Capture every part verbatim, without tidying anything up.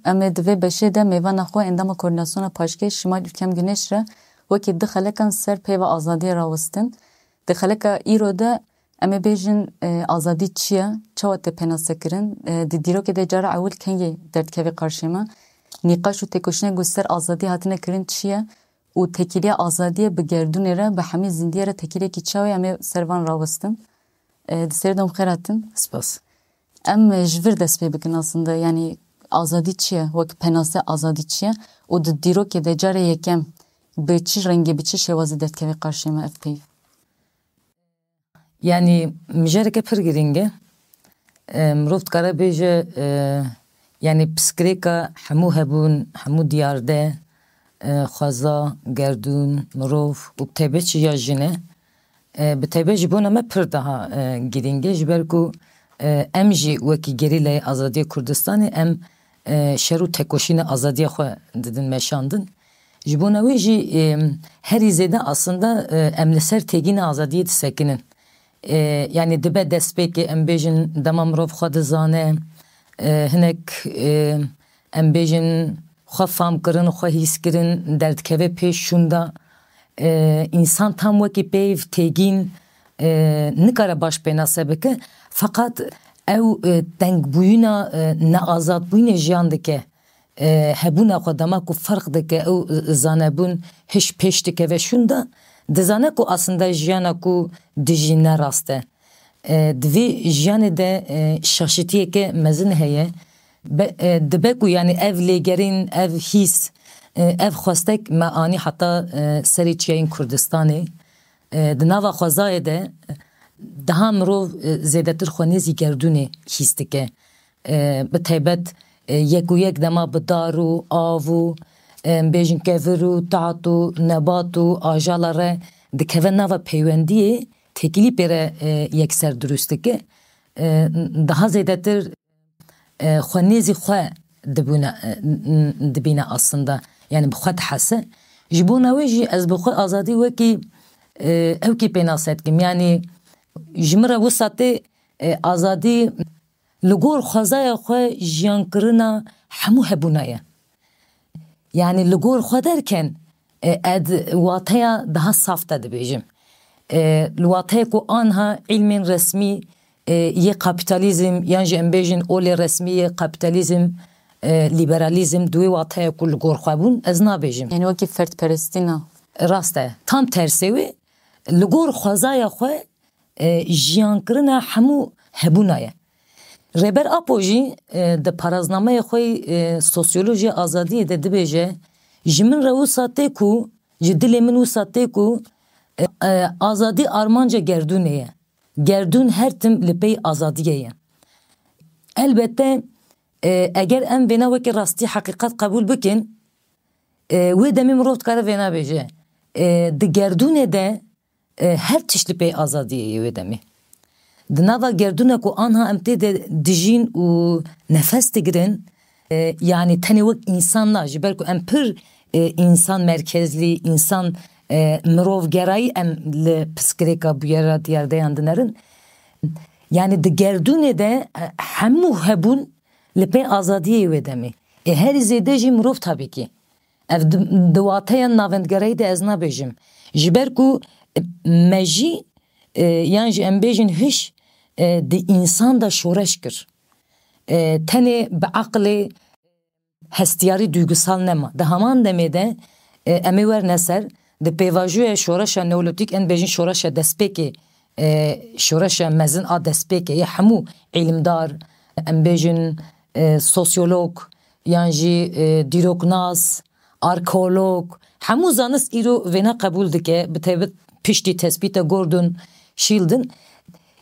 Em ê di vê beşê de mêvana xwe endama Koordînasyona Paşkê Şimal Ülkem Güneş re wekî du xelekan ser peyva azadiyê rawestin. Di xeleka îro de em ê bêjin, e, azadî çi ye, çawa tê pênasekirin, e, di dîrokê de cara ewil kengê derdikeve qarşê me, nîqaş û têkoşînên ku ser azadî hatine kirin çi ye û têkiliya azadiyê bi gerdûnê re, bi hemî zindiyê re têkiliyekî çawa ye, em ê ser van rawestin. E, di sêr de em xêr hatin. Spas. Em, e, ji vir dest pê bikin aslında, yanî azadî çi ye, wek penase azadî çi ye û di dîrokê de carê yekem bi çi rengî, bi çi şêwazî derdikeve qarşê me ev peyv? Yanî mijareke pir girîng e. E, mirov dikare bêje, e, yanî pirsgirêka hemû hebûn, hemû diyarde, e, xweza, gerdûn, mirov û bi taybet jî ya jin e. E, bi taybet ji bona me pir daha, e, girîng e, ji ber ku, e, em jî wekî gerîlayê azadiyê Kurdistanê em, e, şer û tekoşîna azadiya xwe didin meşandin. Ji bona wê jî, e, herî zêde aslında, e, em li ser têgîna azadiyê disekinin. E, yanî dibe destpêkê em bêjin dema mirov xwe dizane, e, hinek, e, em bêjin xwe famkirin, xwe hîskirin derdikeve pêş şûnda. E, însan tam wekî peyv têgîn, e, nikare baş pênase bike. Feqat ew, e, tengbûyîna, e, neazadbûyînê jiyan dike. E, hebûna xwe dema ku ferq dike, ew, e, zanebûn hiş pêş dikeve şûnda, dizane ku aslında jiyana ku dijî ne rast e. E, di vê jiyanê de, e, şaşitiyeke mezin heye. Be-, e, dibe ku, yanî, ev lêgerîn, ev hîs, e, ev xwestek me anî heta, e, serê çiyayên Kurdistanê. E, di nava xwezayê de daha mirov, e, zêdetir xwe nêzî gerdûnê hîs dike. E, bi taybet, e, yek û yek dema bi dar û av û, e, em bêjin kevir û tat û nebat û ajala re dikeve nava peywendiyê, têkilî pê re, e, yekser dirust dike. E, daha zêdetir, e, xwe nêzî xwe dibûne, e, n-, n-, dibîne aslında. Yani bi xwe dihese. Ji bona wê jî ez bi xwe azadî wekî, e, ewkî pênase dikim. Yani ji min re wisa tê, e, azadî li gor xwezaya xwe jiyankirina hemû hebûna ye. Yani li gor xwe derken, e, ez wateya daha saf te dibêjim. E, li wateyê ku anha ilmên resmî, e, yê kapîtalîzm yan jî em bêjin olê resmî yê kapîtalîzm, e, lîberalîzm di wê wateyê ku li gor xwe bûn, ez nabêjim. Yani wekî ferdperestî na. Rast e. Tam tersê wê, li gor xwezaya xwe, e, jiyankirina hemû hebûna ye. Rêber Apo jî, e, di paraznameyê xwe yî, e, sosyolojiya azadiyê de dibêje, ji min re wisa tê ku, ji dilê min wisa tê ku, e, e, azadî armanca gerdûnê ye. Gerdûn her tim li pey azadiyê ye. Elbette, e, eger em vêna wekî rastî heqîqet qebûl bikin, e, wê demê mirov dikare vêna bêje. E, di gerdûnê de, e, her tişt li pey azadiyê ye wê demê. Di nava gerdûna ku anha em tê de dijîn û nefes digirin, e, yani tenê wek însan na, ji ber ku em pir, e, însan merkezlî, însan, e, mirovgerayî em li pirsgirêka bûyera diyardeyan dinerin. Yani di gerdûnê de, e, hemû hebûn li pê azadiyê wê demê. Ê herî zêde jî mirov tabii ki. Ev di, di wateya navendgerayî de ez nabêjim. Ji ber ku, e, me jî, e, yan jî em bêjin hiş, e, di însan de şoreş kir. E, tenê bi aqilê hestiyarî duygusal nema. Di heman demê de, e, em ê werne ser, di pêvajoya şoreşa neolîtîk, em bêjin şoreşa destpêkê, e, şoreşa mezin a destpêkê yê hemû îlimdar, em bêjin, e, sosyolog, yan jî, e, dîroknas, arkeolog, hemû zanist îro vêna qebûl dike, bi taybet piştî tespîta Gordon Sheldon.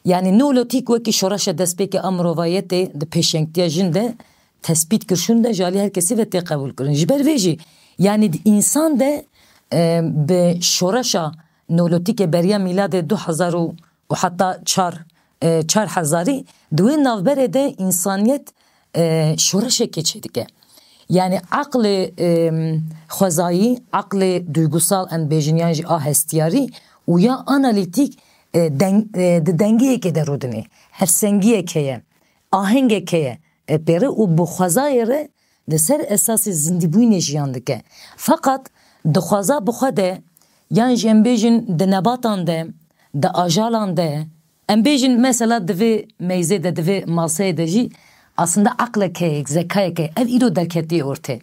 Yani Neolîtîk wekî şoreşa destpêkê a mirovayetê di pêşengtiya jin de tespît kir şûn de ji alî her kesî ve tê qebûlkirin. Ji ber vê jî, yani di însan de, e, bi şoreşa Neolîtîkê beriya mîladê du hezar û, û heta çar, e, çar hezarî, di wê navberê de însaniyet, e, şoreşekê çêdike. Yani aqlê, e, xwezayî, aqlê duygusal em bêjin yan jî a hestiyarî û ya analîtîk, e, deng-, e, di dengiyekê de rûdinê. Hevsengiyek heye, ahengek heye, e, pê re û bi xwezayê re Li ser esasê zindîbûyînê jiyan dike. Feqet dixwaza bi xwe de, yan jî em bêjin di nebatan de, di ajalan de, em bêjin mesela di vê meyzê de, di vê maseyê de jî aslında aqlek heye, zekayek heye. Ev îro derketiye ortê.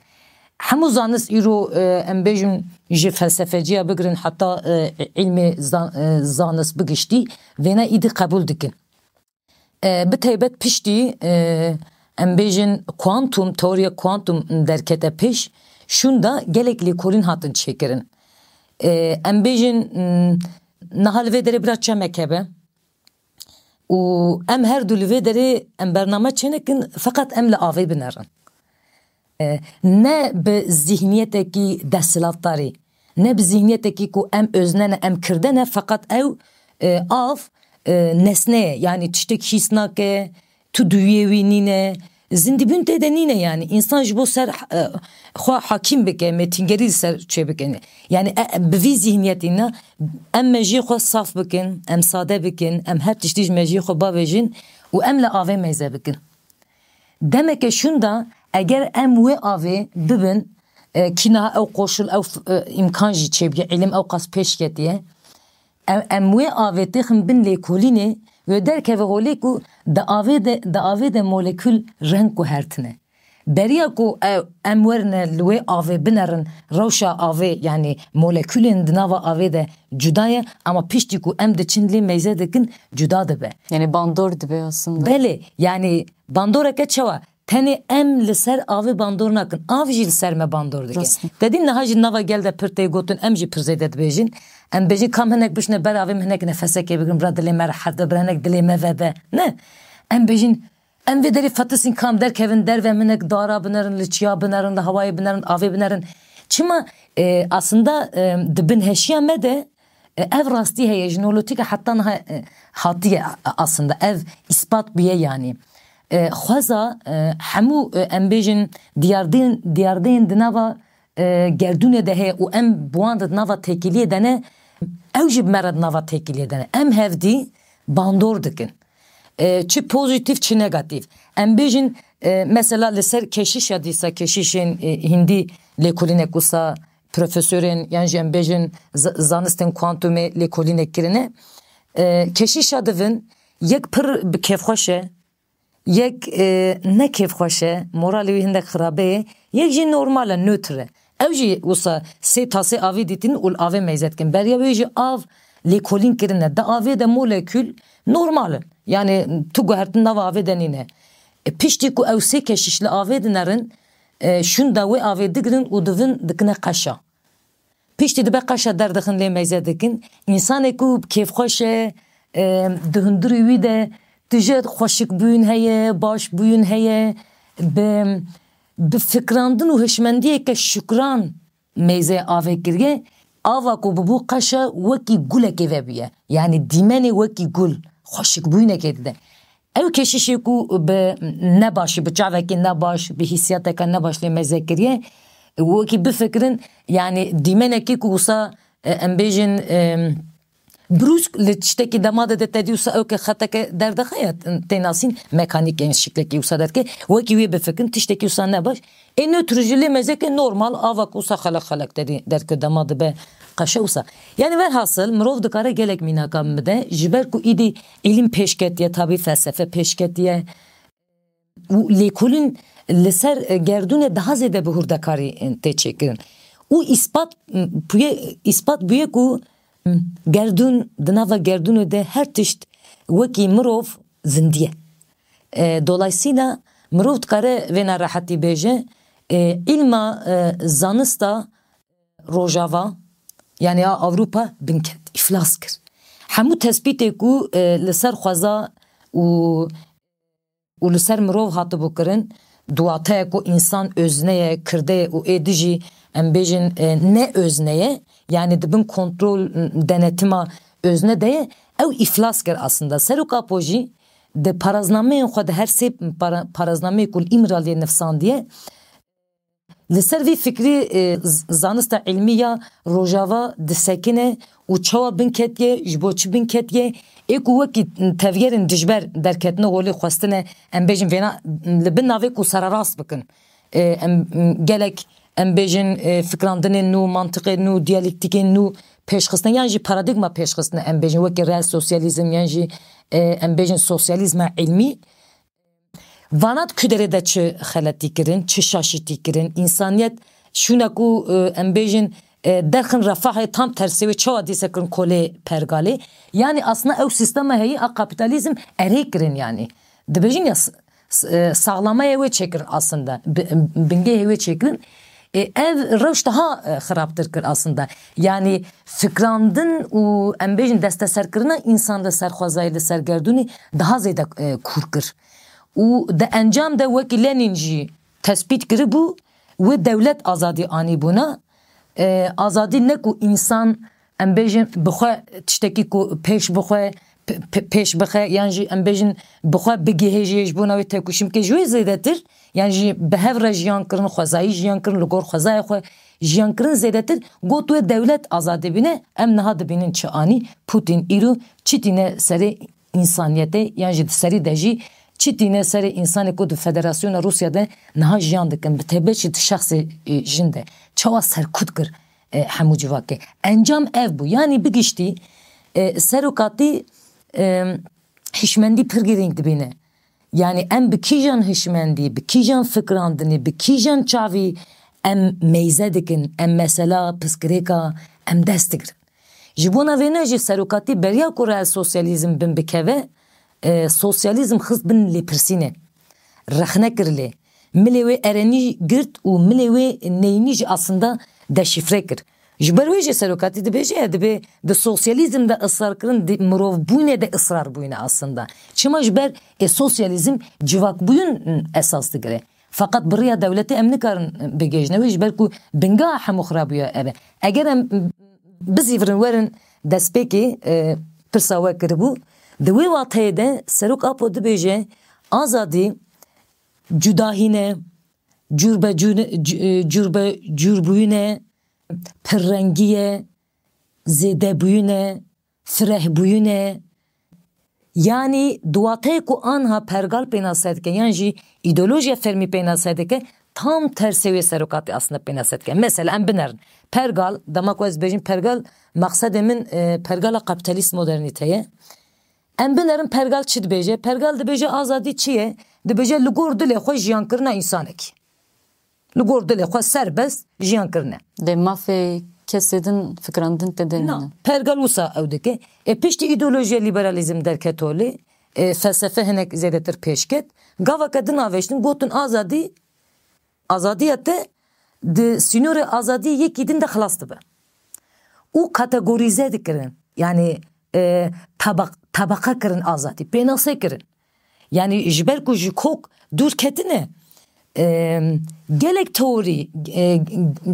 Hemû zanist îro, e, em bêjin ji felsefeciya bigirin heta, e, îlmê zan-, e, zanist bigiştî, vêna îdî qebûl dikin. E, bi taybet piştî, e, em bêjin kuantum, teoriya kuantum derkete pêş, şûnda gelek lêkolîn hatin çêkirin. E, em bêjin, m, niha li vê derê bira çemek hebe û em her du li vê derê em bername çênekin, feqet em li avê binerin. E, ne bi zihniyetekî desthilatdarî, ne bi zihniyetekî ku em özne ne, em kirde ne, feqet ew, e, av, e, nesne ye, yanî tiştek hîs nake, tu duyê wî nîne, zindîbûn tê de nîne, yanî însan ji bo ser, e, xwe hakîm bike, mêtingerî li ser çê bike. Yanî, e, bi vî zihniyetî ne, em mejiyê xwe saf bikin, em sade bikin, em her tiştî ji mejiyê xwe bavêjin û em li avê meyze bikin. Demeke şûnda eger em wê avê bibin, e, kî niha ew qoşul, ew f-, e, îmkan jî çêbûye, îlim ew qas pêş ketiye. Em, em wê avê têxin bin lêkolînê, wê derkeve holê ku di avê de, di avê de molekûl reng guhertine. Beriya ku ew, em werine li wê avê binerin, rewşa avê, yanî molekûlên di nava avê de cuda ye, ama piştî ku em diçin lê meyze dikin, cuda dibe. Yanî bandor dibe aslında. Belê, yanî bandoreke çawa? Tenê em li ser avê bandor nakin, av jî li ser me bandor dike. Rast. Te dî niha jî nava gel de pir tê gotin, em jî pir zêde dibêjin. Em bêjin kam hinek bişne ber avê, min hinek nefesekê bigirin, bira dilê me rehet be, bira hinek dilê me vebe. Ne. Em bêjin, em vê derê fetisîn kam derkevin derve, min hinek dara binerin, li çiya binerin, li hewayê binerin, avê binerin. Çima, e, aslında, e, di bin heşiya me de, e, ev rastî heye, ji Neolîtîka heta niha, e, hatiye a-, aslında. Ev îspat bûye yanî. E, xweza, e, hemû, e, em bêjin diyardeyên, diyardeyên di nava, e, gerdûnê de heye û em bi wan re di nava têkiliyê de ne, ew jî bi me re di nava têkiliyê de ne. Em hevdî bandor dikin. E, çi pozîtîf, çi negatîf. Em bêjin, e, mesela li ser keşîşa dîsa, keşîşên, e, hîndî lêkolînek wisa profesorên yan jî em bêjin z-, zanistên kuantumê lêkolînek kirine. E, keşîşa divin yek pir bi kêfxweş e, yek, e, ne kêfxweş e, moralê wî hindek xirabe ye, yek jî normal e, nötr e. Ew jî wisa sê tasê avê dîtin û li avê meyze dikin. Beriya wê jî av lêkolîn kirine. Di avê de molekûl normal in. Yanî tu guhertin nava avê de nîne. E, piştî ku ew sê keşîş li avê dinerin, e, şûnda wê avê digirin û divin dikine qeşa. Piştî dibe qeşa derdixin lê meyze dikin. Însanê ku kêfxweş e, e, di hundirî wî de tije xweşikbûyîn heye, başbûyîn heye, bi, bi fikrandin û hişmendiyeke şukran meyzê avê kiriye. Ava ku bibû qeşa wekî gulekê vebûye. Yanî dîmenê wekî gul, xweşikbûyînekê dide. Ew keşîşê ku bi nebaşî, bi çavekî nebaş, bi hîsiyateke nebaş lê meze kiriye, wekî bifikirin, yanî dîmenekî ku wisa, e, em bêjin, e, brûsk li tiştekî dema de, de te dî wisa ew ke xeteke derdixe ya, tê nasîn, mekanîk, yanî şiklekî wisa derke, wekî wê bifikirin, tiştekî wisa nebaş. Ê nötr jî lê mezeke normal, ava ku wisa xelek xelek te dî derke dema dibe qeşe wisa. Yanî velhasil, mirov dikare gelek mînaka bide, ji ber ku îdî îlim pêş ketiye, tabî felsefe pêş ketiye û lêkolîn li ser, e, gerdûnê daha zêde bi hurdekarî, e, tê çêkirin. Û îspat, m, bûye, îspat bûye ku, m, gerdûn, di nava gerdûnê de her tişt wekî mirov zindî ye. E, dolayısıyla mirov dikare vêna rehetî bêje, e, îlma, e, zanista Rojava, yanî ya Ewropa binket, îflas kir. Hemû tespîtê ku, e, li ser xweza û, û li ser mirov hatibû kirin, di wateyê ku însan özne ye, kirde ye û ê dijî, em bêjin, e, ne özne ye, yanî di bin kontrol, denetima özne de ye, ew îflas kir aslında. Serok Apo jî di paraznameyên xwe de, her sê para-, paraznameyê ku li Îmraliyê nivsandiye, li ser vî fikrî, e, z-, zanista îlmî ya Rojava disekine û çawa bin ketiye, ji bo çi bin ketiye, ê ku wekî tevgerên dijber derketine holê, xwestine, em bêjin vêna, li bin navê ku sererast bikin. e, em, gelek, em bêjin, e, fikrandinên nû, mantiqên nû, diyalektîkên nû pêşxistine, yan jî paradîgma pêşxistine, em bêjin, wekî reel sosyalîzm, yan jî, e, em bêjin, sosyalîzma îlmî. Vana di ku derê de çi xeletî kirin, çi şaşîtî kirin, însaniyet şûna ku, e, em bêjin, e, derxin refahê tam tersê wê çawa dîse kirin kolê pergalê. Yanî aslında ew sîstema heyî a kapîtalîzm erê kirin yanî. Dibêjin ya s-, s-, e, saxlamaya wê çêkirin aslında. Bi-, bingehê wê çêkirin. E, ev rewş daha, e, xirabtir kir aslında. Yanî fikrandin û em bêjin desteserkirina însan li ser xwezayê, li ser gerdûnê daha zêde, e, kûr kir. Û di encam de wekî Lenin jî tespît kiribû, wê dewlet azadî anîbûna. E, azadî ne ku însan, em bêjin, bi xwe tiştekî ku pêş bi xwe, p-, p-, pêş bixe, yan jî em bêjin bi xwe bigihêjê ji bona wê têkoşîn bike, ji wê zêdetir, yan jî bi hev re jiyan kirin, xwezayî jiyan kirin, li gor xwezayê xwe jiyan kirin zêdetir, got wê dewlet azadî bîne, em niha dibînin çi anî, Putin îro çi tîne serê însaniyetê, yan jî di serî de jî çi tîne serê însanê ku di Federasyona Rûsya de niha jiyan dikin, bi taybet jî di şexsê, e, jin de. Çawa serkut kir, e, hemû civakê. Encam ev bû. Yanî bigiştî, e, serokatî, e, hişmendî pir girîng dibîne. Yanî em bi kîjan hişmendî, bi kîjan fikrandinê, bi kîjan çavî em meyze dikin, em mesela pirsgirêka em dest digirin. Ji bona vêne jî serokatî beriya ku reel sosyalîzm bin bikeve, e, sosyalîzm xist bin lêpirsînê. Rexne kir lê. Milê wê erenî girt û milê wê neyînî jî aslında deşîfre kir. Ji ber wê jî serokatî dibêje, e, dibê di sosyalîzm de israr kirin, di mirovbûnê de israr bûyne aslında. Çima ji ber ê sosyalîzm civakbûyîn esas digire. Feqet bi riya dewletê em nikarin bigihêjine wê, ji ber ku bingeha hemû xirabûya ev e. Eger em bizîvirin werin destpêkê, e, pirsa we kiribû, di wê wateyê de Serok Apo dibêje, azadî cudahî ne, cûrbecû-, c-, e, cûrbecûrbûyî ne, pirrengî ye, zêdebûyî ne, firehbûyî ne. Yanî di wateyê ku anha pergal pênase dike, yan jî îdeolojiya fermî pênase dike, tam tersê wê serokatî aslında pênase dike. Mesela em binerin. Pergal, dema ku ez bêjim pergal, maqsedê min, e, pergala kapîtalîst modernîte ye. Em binerin pergal çi dibêje? Pergal dibêje azadî çi ye? Dibêje li gor dilê xwe jiyankirina însanekî. Li gor dilê xwe serbest jiyan kirine. Lê mafê kesê din fikrandin tê de Na, nîne. Pergal wisa ew dike. E, piştî îdeolojiya liberalîzm derket holê, e, felsefe hinek zêdetir pêş ket. Gaveke din avêştin, gotin azadî, azadiya te di sînorê azadî yekî din de xilas dibe. Û kategorîze dikirin. Yanî, e, tabaq-, tabaqa kirin azadî, pênase kirin. Yanî ji ber ku ji kok dûr ketine, e, gelek teorî, e,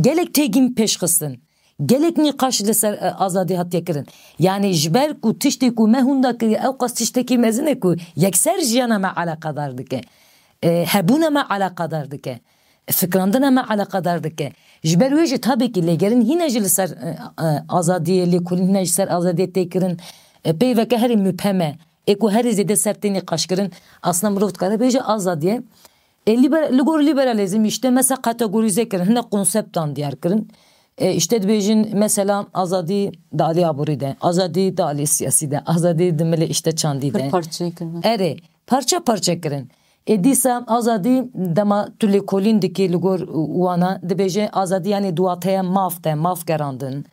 gelek têgîn pêşxistin, gelek nîqaş li ser, e, azadî hatiye kirin. Yanî ji ber ku tiştê ku me hûn da kiriye, ew qas tiştekî mezin e ku yekser jiyana me eleqedar dike. E, hebûna me eleqedar dike. Fikrandina me eleqedar dike. Ji ber wê jî tabî ki lêgerîn hîne jî li ser, e, e, azadiyê lêkolîn, hîne ji ser azadiyê tê kirin. E, peyveke herî mubhem e. Ê ku herî zêde ser tê nîqaş kirin, aslında mirov dikare bêje azadiye. E, liber-, li gor liberalîzm işte mesela kategorîze kirin, hinek konseptan diyar kirin. E, işte dibêjin mesela azadî di alî aborî de, azadî di alî siyasî de, azadî di milê işte çandî de. Pir parçeyê kirin. Erê, parça parça kirin. Ê dîsa azadî dema tu lêkolîn dikî li gor wana, dibêje azadî yanî di wateya maf de, maf gerandin.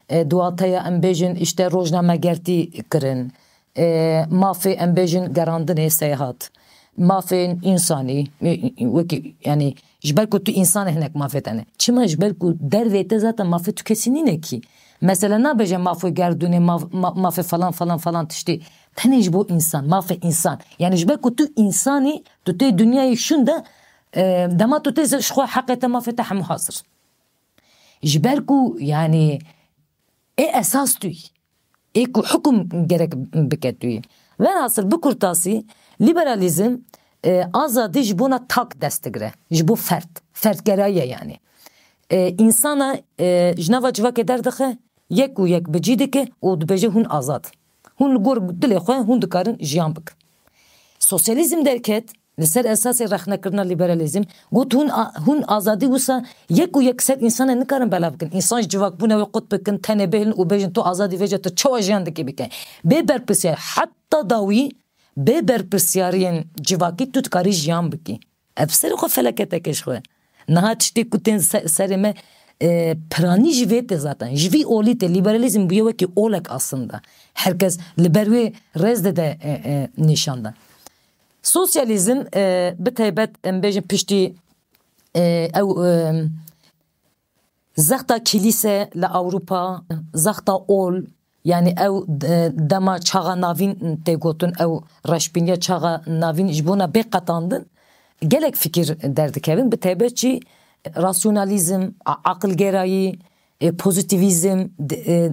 E, di wateya em bêjin işte rojnamegertî kirin. E, mafê em bêjin gerandinê seyahat. Mafên însanî, e, e, wekî, yanî ji ber ku tu însan e hinek mafê te ne. Çima? Ji ber ku dervê te zaten mafê tu kesî nîne kî. Mesela nabêje mafê gerdûnê, maf-, ma-, mafê falan falan falan tiştî. Tenê ji bo însan, mafê însan. Yanî ji ber ku tu însanî, tu tê dinyayê şûn de, e, dema tu tê ji xwe heqê te, mafê te hemû hazir. Ji ber ku, yanî, ê esas tu yî. Ê ku hukum gerek bike tu yî. Velhasil bi kurtasî, liberalîzm, e, azadî ji bona tak dest digire. Ji bo ferd. Ferdgerayiye yanî. E, însana, e, ji nava civakê derdixe, yek û yek bi cî dike û dibêje hûn azad. Hûn li gor dilê xwe hûn dikarin jiyan bikin. Sosyalîzm derket, Li ser esasê rexnekirina liberalîzm, got hûn, a- hûn azadî wisa yek û yek ser însanê nikarin belav bikin. Însan ji civakbûna wê qut bikin, tenê bihêlin û bêjin tu azadî vêce tu çawa jiyan dikî bike. Bê berpirsiyar, heta dawî bê berpirsyariyên civakî tu dikarî jiyan bikî. Ev serê xwe feleketek e ji xwe. Niha tiştê ku tên se- serê me, e, piranî ji vê tê zaten. Ji vî olî tê, liberalîzm bûye wekî olek aslında. Herkes li ber wê rêz dide, e, e, nîşan de. Sosyalîzm, e, bi taybet em bêjin piştî, e, ew, e, zexta kilîse li Ewropa, zexta ol, yani ew, e, dema çaxa navîn tê gotin, ew reşbîniya çaxa navîn ji bona bê qetandin, gelek fikir derdikevin, bi taybet jî rasyonalîzm, a- aqilgerayî, e, pozîtîvîzm, di- e,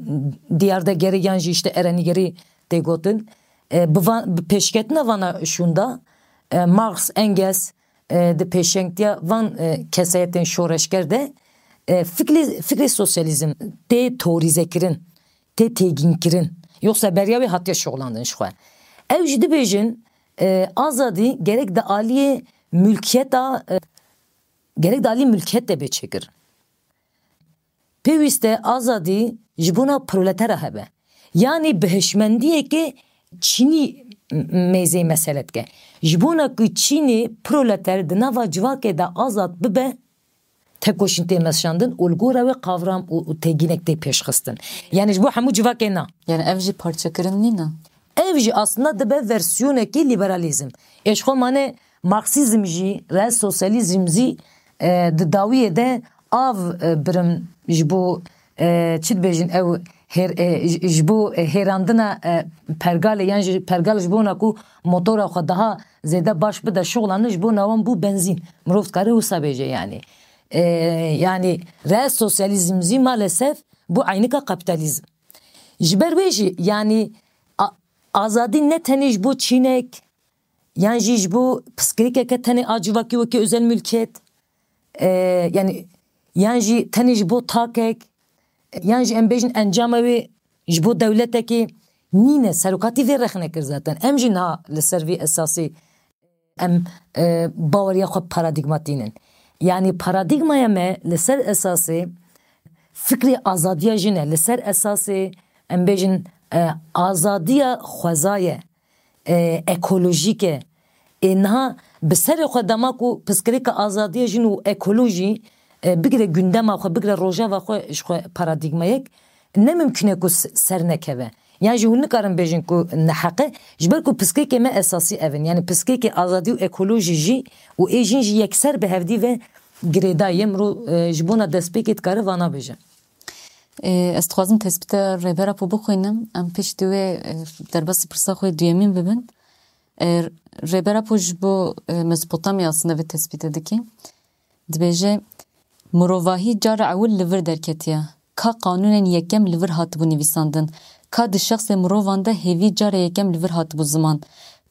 diyardegerî yan jî işte erenîgerî tê gotin. E, bi van- bi pêşketina vana şûnda, e, Marx, Engels, e, di pêşengtiya van, e, kesayetên şoreşger de, e, fikrê, fikrê sosyalîzm tê teorîzekirin, tê têgînkirin. Yoksa beriya wê hatiye şoxlandin ji xwe. Ew jî dibêjin, e, azadî gerek di aliyê mülkiyeta, e, gerek di aliyê mülkiyet de bê çêkirin. Pêwîst e azadî ji bona proletera hebe. Yanî bi hişmendiyeke çînî m- mêzeyê mesele dike. Ji bona ku çînê proleter di nava civakê de azad bibe, tekoşîn tê meşandin û li gora wê qavram û, û têgînek tê pêşxistin. Yani ji bo hemû civakê na. Yani ev jî parçekirin nîne? Ev jî aslında dibe versiyonekî liberalîzm. Ê ji xwe mane Marksîzm jî, real sosyalîzm jî, e, di dawiyê de av, e, birim ji bo, e, çi dibêjin ew hêr-, e, ji, ji bo, e, hêrandina, e, pergalê yan jî pergal ji bona ku motora xwe daha zêde baş bide şoxlanin ji bona wan bû benzîn. Mirov dikare wisa bêje yani. E, yani real sosyalîzm jî maalesef bû eynika kapîtalîzm. Ji ber wê jî yani a- azadî ne tenê ji bo çînek, yan jî ji bo piskirêkeke tenê a civakî wekî özel mülkiyet, e, yani yan jî tenê ji bo takek, yan jî em bêjin encama wê ji bo dewletekê nîne, serokatî vê rexne kir zaten. Em jî niha li ser vî esasî em, e, baweriya xwe paradîgmatînin. Yani paradîgmaya me li ser esasê fikrê azadiya jin e, li ser esasê em bêjin, e, azadiya xweza ye, e, ekolojîk e. Ê niha bi serê xwe dema ku piskirêka azadiya jin û ekolojî, e, bigire gundema xwe, bigire rojeva xwe ji xwe paradîgmayek, ne mimkun e ku s- ser nekeve. Yan jî hûn nikarin bêjin ku neheq e, ji ber ku piskekê me esasî ev in. Yani piskekê azadî û ekolojî jî û ê jin jî yekser bi hevdî ve girêdayî ye. Mirov, e, ji bona destpêkê dikare vana bêje. Ê, ez dixwazim tespîta Rêber Apo bixwînim. Em piştî wê, e, derbasî pirsa xwe duyemîn bibin. E, Rêber Apo ji bo, e, Mezopotamya aslında vê tespîte dike. Dibêje, mirovahî cara ewil li vir derketiye. Ka qanûnên yekem li vir hatibû nivîsandin. Ka di şexsê mirovan de hêvî cara yekem li vir hatibû ziman.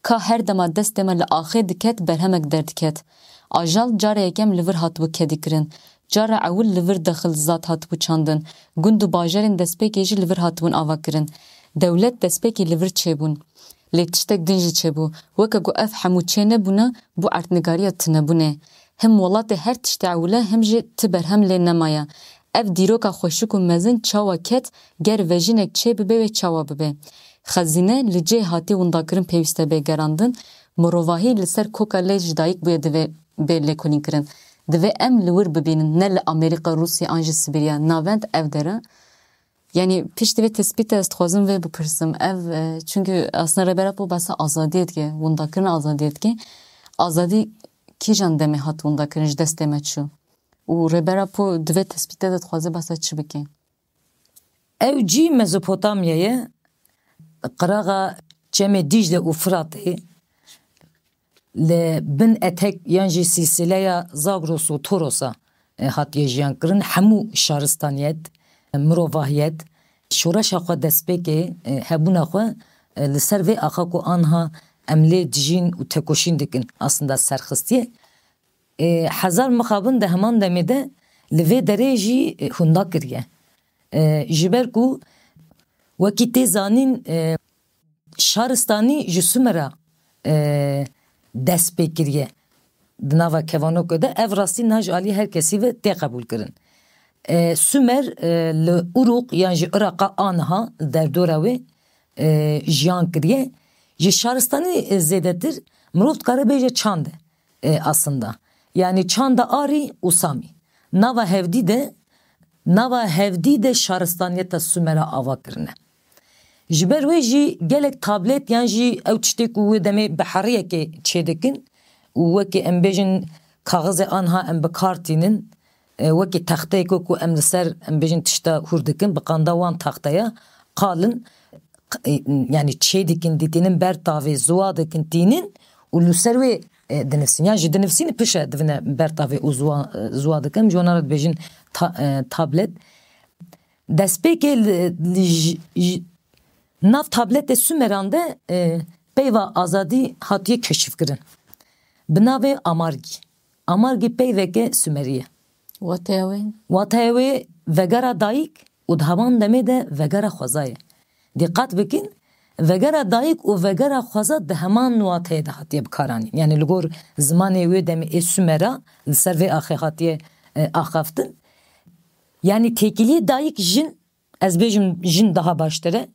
Ka her dema destê me li axê diket, berhemek derdiket. Ajal cara yekem li vir hatibû kedîkirin. Cara ewil li vir dexil zat hatibû çandin. Gund û bajarên destpêkê jî li vir hatibûn avakirin. Dewlet destpêkê li vir çêbûn. Lê tiştek din jî çêbû. Weke ku ev hemû çênebûna, bû erdnigariya tunebûnê. Him welatê her tiştê ewil e, him jî ti berhem lê nemaye. Ev dîroka xweşik û mezin çawa ket, ger vejînek çêbibe wê çawa bibe? Xezîne li cihê hatî windakirin pêwîst e bê gerandin, mirovahî li ser koka lê ji dayik bûye divê bê lêkolînkirin. Divê em li wir bibînin, ne li Amerîka, Rûsya an jî Sibîrya. Navend ev der e. Yani piştî vê tespîtê ez dixwazim vê bipirsim. Ev, e, çünkü aslında Rêber Apo behsa azadiyê dike, windakirina azadiyê dike. Azadî kîjan demê hat windakirin, ji destê me çû? Û Rêber Apo di vê tespîtê de dixwaze behsa çi bike? Ew cî Mezopotamya ye, qiraxa çemê Dîcle û Firatê, li bin etek yan jî sîlsîleya Zagros û Torosa, e, hatiye jiyan kirin. Hemû şaristaniyet, mirovahiyet, şoreşa xwe destpêkê, e, hebûna xwe, e, li ser vê axa ku anha em lê dijîn û tekoşîn dikin, aslında serxistiye. E, hezar mixabin di heman demê de li vê derê jî, e, hunda kiriye. E, ji ber ku wekî tê zanîn, e, şaristanî ji Sumera, e, dest pê kiriye. Di nava kevanokê de ev rastî niha ji alî her kesî ve tê qebûlkirin. E, Sumer, e, li Urûq yan jî Iraqa aniha li derdora wê, e, jiyan kiriye. Ji şaristanî, e, zêdetir mirov dikare bêje çand e, e, aslında. Yanî çanda Arî û Samî. Nava hevdî de, nava hevdî de şaristaniyeta Sumera ava kirine. Ji ber wê jî gelek tablet yan jî ew tiştê ku wê demê bi heriyekê çêdikin û wekî em bêjin kaxizê anha em bi kar tînin, e, wekî texteyeko ku em li ser, em bêjin, tişta hûr dikin, bi qanda wan texteya qalin, q-, e, yanî çêdikin, dîtînin ber tavê, ziwa dikin, tînin û li ser wê, e, dinivsîn. Yan jî dinivsîn pişe divine ber tavê û ziwa, e, ziwa dikin. Em ji wana re dibêjin ta-, e, tablet. Destpêkê li, li j-, j-, nav tabletê Sumeran de, e, peyva azadî hatiye keşifkirin. Bi navê Amargî. Amargî peyveke Sumerî ye. Wateya wê? Wateya wê vegera dayik û di heman demê de vegera xweza ye. Dîqat bikin, vegera dayik û vegera xweza di heman wateyê de hatiye bikaranîn. Yanî li gor zimanê wê demê ê Sumera li ser vê axê hatiye, e, axaftin. Yanî têkiliyê dayik jin, ez bêjim jin daha baştir e.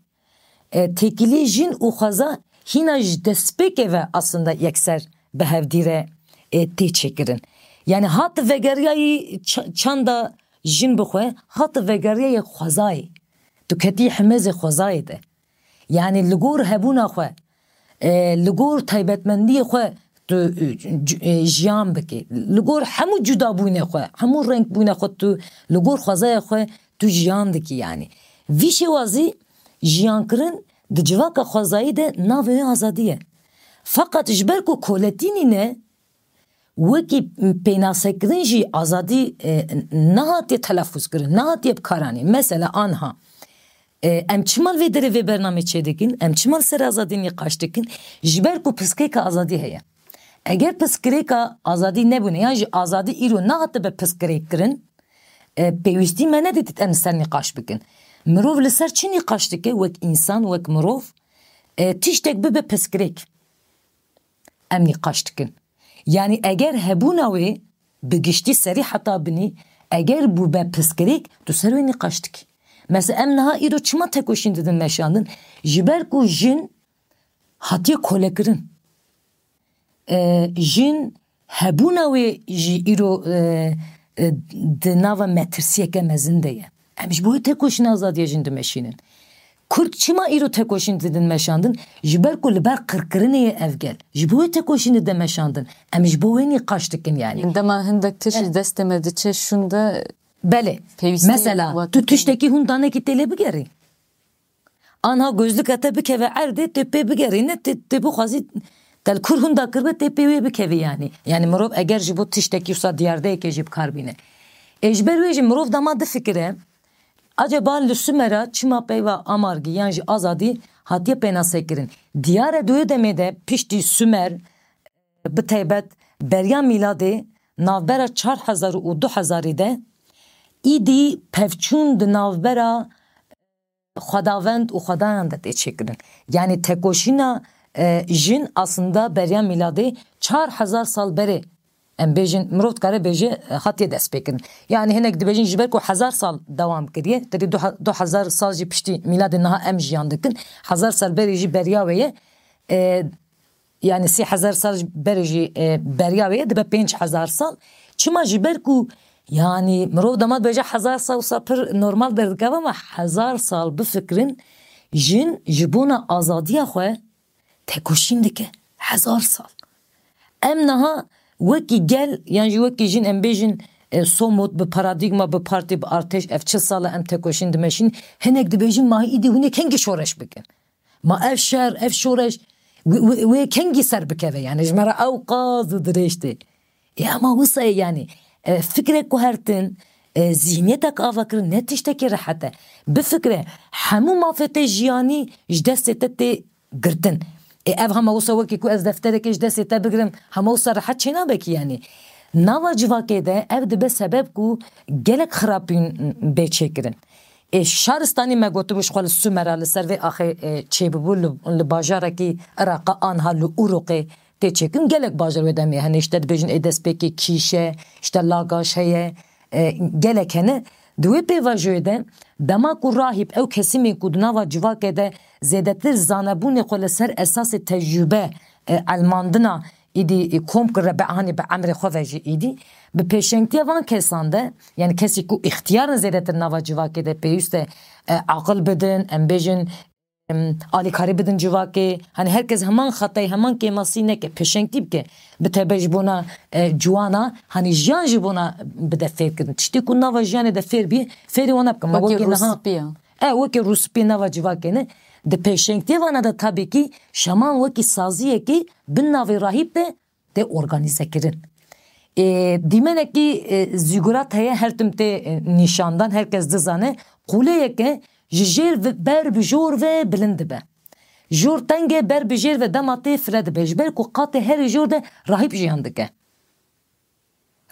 E, têkiliyê jin û xweza hîna ji destpêkê ve aslında yekser bi hevdî re, e, tê çêkirin. Yanî hat vegeriyayî ç-, çanda jin bi xwe, hat vegeriyayê xwezayê. Tu ketî himêzê xwezayê de. Yanî li gor hebûna xwe, e, li gor taybetmendiyê xwe tu, e, c-, e, jiyan bikî. Li gor hemû cudabûnê xwe, hemû renkbûnê xwe tu li gor xwezaya xwe tu jiyan dikî yanî. Vî şêwazî jiyankirin di civaka xwezayî de navê wê azadî ye. Feqet ji ber ku koletî nîne, wekî pênasekirin jî azadî, e, nehatiye telafûz kirin, nehatiye bikaranîn. Mesela anha, e, em çima li vê derê vê bernamê çêdikin, em çima li ser azadî nîqaş dikin? Ji ber ku piskirêka azadî heye. Eger piskirêka azadî nebûne, yan jî azadî îro nehatibe piskirêkkirin, e, pêwîstî me nedidît em li ser nîqaş bikin. Mirov li ser çi nîqaş dike? Wek însan, wek mirov, e, tiştek bibe piskirêk, em nîqaş dikin. Yanî eger hebûna wê bi giştî serî heta binî, eger bûbe piskirêk, tu ser wê nîqaş dikî. Mesela em niha îro çima tekoşîn didin meşandin? Ji ber ku jin hatiye kolekirin. E, jin hebûna wê jî îro, e, e, di nava metirsiyeke mezin de ye. Em ji bo wê tekoşîna azadiya jin dimeşînin. Kurd çima îro tekoşîn didin meşandin? Ji ber ku li ber qirkirinê ye ev gel. Ji bo wê tekoşîn dide meşandin. Em ji bo wê nîqaş dikin yanî. Dema hindek tişt ji destê me diçe şûnde. Belê. Pêwîstî. Mesela, tu tiştekî hûn danekî tê lê bigerî. Anha gözlika te bikeve erdê, tê pê bigerîne, tê, tê bixwazî te li kur hûn dakiribe, tê pê wê bikevî yanî. Yanî mirov eger ji bo tiştekî wisa diyardeyekê jî bi kar bîne. Ê ji ber wê jî mirov dema difikire, acaba li Sumera çima peyva Amargî yan jî azadî hatiye pênasekirin? Diyar e di wê demê de piştî Sumer bi taybet beriya mîladê navbera çar hezar û du hezarî de îdî pevçûn di navbera xwedavend û xwedayan de tê çêkirin. Yanî tekoşîna, e, jin aslında beriya mîladê çar hezar sal berê, em bêjin, mirov dikare bêje, e, hatiye destpêkirin. Yanî hinek dibêjin ji ber ku hezar sal dewam kiriye, terî du he-, du hezar sal jî piştî mîladê niha em jiyan dikin, hezar sal berê jî beriya wê ye. E, Yanî sê hezar sal berê jî, e, beriya wê ye, dibe pênc hezar sal. Çima? Ji ber ku, yanî, mirov dema dibêje hezar sal, wisa pir normal derdikeve, ama hezar sal bifikirin, jin ji bona azadiya xwe tekoşîn dike. Hezar sal. Em niha wekî gel, yan jî wekî jin, em bêjin, e, somut bi paradîgma, bi partî, bi artêş, ev çil sal e em tekoşîn dimeşîn, hinek dibêjin, ma îdî hûn ê kengî şoreş bikin? Ma ev şer, ev şoreş, wê, wê, wê kengî ser bikeve? Yanî ji me re ew qaz û dirêj tê. Ê, ama wisa ye yanî, e, fikrek guhertin, e, zîhniyetek avakirin ne tiştekî rehet e. Bifikire, hemû mafê te jiyanî ji destê te tê girtin. Ê, ev hema wisa wekî ku ez defterekê ji destê te bigirim, hema wisa rehet çênabe kî yanî. Nava civakê de ev dibe sebeb ku gelek xirapîn bê çêkirin. Ê, şaristanî me gotibû ji xwe li Sumera li ser vê axê, e, çêbibû li, li bajarekî Iraqa anha li Urûqê tê çêkirin. Gelek bajêr wê demê hene, işte dibêjin ê destpêkê kîş e, işte lagaş heye, e, gelek hene. Di wê pêvajoyê de dema ku rahîb ew kesimên ku di nava civakê de zêdetir zanebûnê xwe li ser esasê tecrûbe, e, elmandina îdî, e, kom kir, be, hanê bi emrê xwe ve jî îdî, bi pêşengtiya van kesan de, yani kesî ku îxtiyarên zêdetir nava civakê de pêwîst e, e, aqil bidin, em bêjin, em, alîkarî bidin civakê, hani herkes heman xetayê, heman kêmasî neke, pêşengtî bike, bi tebe ji bona, e, ciwana, hani jiyan ji bona bide fêrkirin. Tiştê ku nava jiyanê de fêr bî, fêrê wana bikin. Ma Wekî wekî niha rûspîya. E, wekî rûspî nava civakê ne. Di pêşengtiyê vana de tabii ki şaman wekî saziyekî bin navê rahîb de tê organîze kirin. E, dîmenekî, e, zîgurat heye, her tim tê, e, nîşandan, herkes dizane. Qûleyeke ji jêr ve, ber bi jor ve bilind dibe. Jor teng e, ber bi jêr ve dema tê fire dibe. Ji ber ku qatê herî jor de rahîb jiyan dike.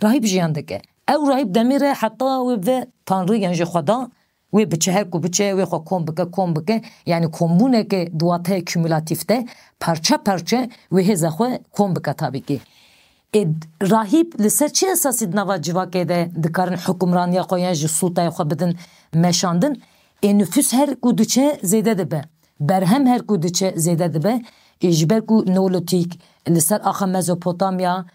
Rahîb jiyan dike. Ew rahîb demê re heta wê ve Tanrî, yan jî Xweda, wê biçe, her ku biçe, wê xwe kom bike, kom bike. Yani kombûneke di wateyê kumûlatîf de parçe parçe wê hêza xwe kom bike tabii ki. Ê, rahîb li ser çi esasî di nava civakê de dikarin hukimraniya xwe yan jî sultayê xwe bidin meşandin? Ê, nifûs her ku diçe zêde dibe. Berhem her ku diçe zêde dibe. Ê, ji ber ku neolîtîk li ser axa Mezopotamya,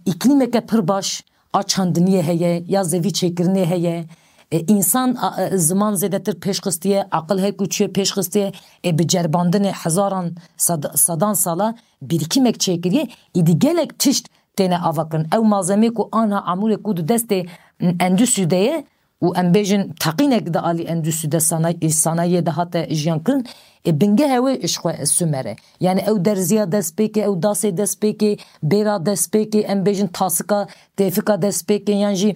îklîmeke pir baş a çandiniyê heye, ya zevî çêkirinê heye. E, însan, a, e, ziman zêdetir pêş xistiye, aqil her ku çûye pêş xistiye. E, bi ceribandinê hezaran, sad-, sedan sala birikîmek çêkiriye. Îdî gelek tişt têne avakirin. Ew malzemê ku anha amûrê ku di destê, m, Endûsû de ye, û em bêjin teqînek di alî Endûsû de sanay-, sanayiyê de hate jiyan kirin, ê, bingehê wê ji xwe Sumer e. Yani ew derziya destpêkê, ew dasê destpêkê, bêra destpêkê, em bêjin tasika, têfika destpêkê, yan jî,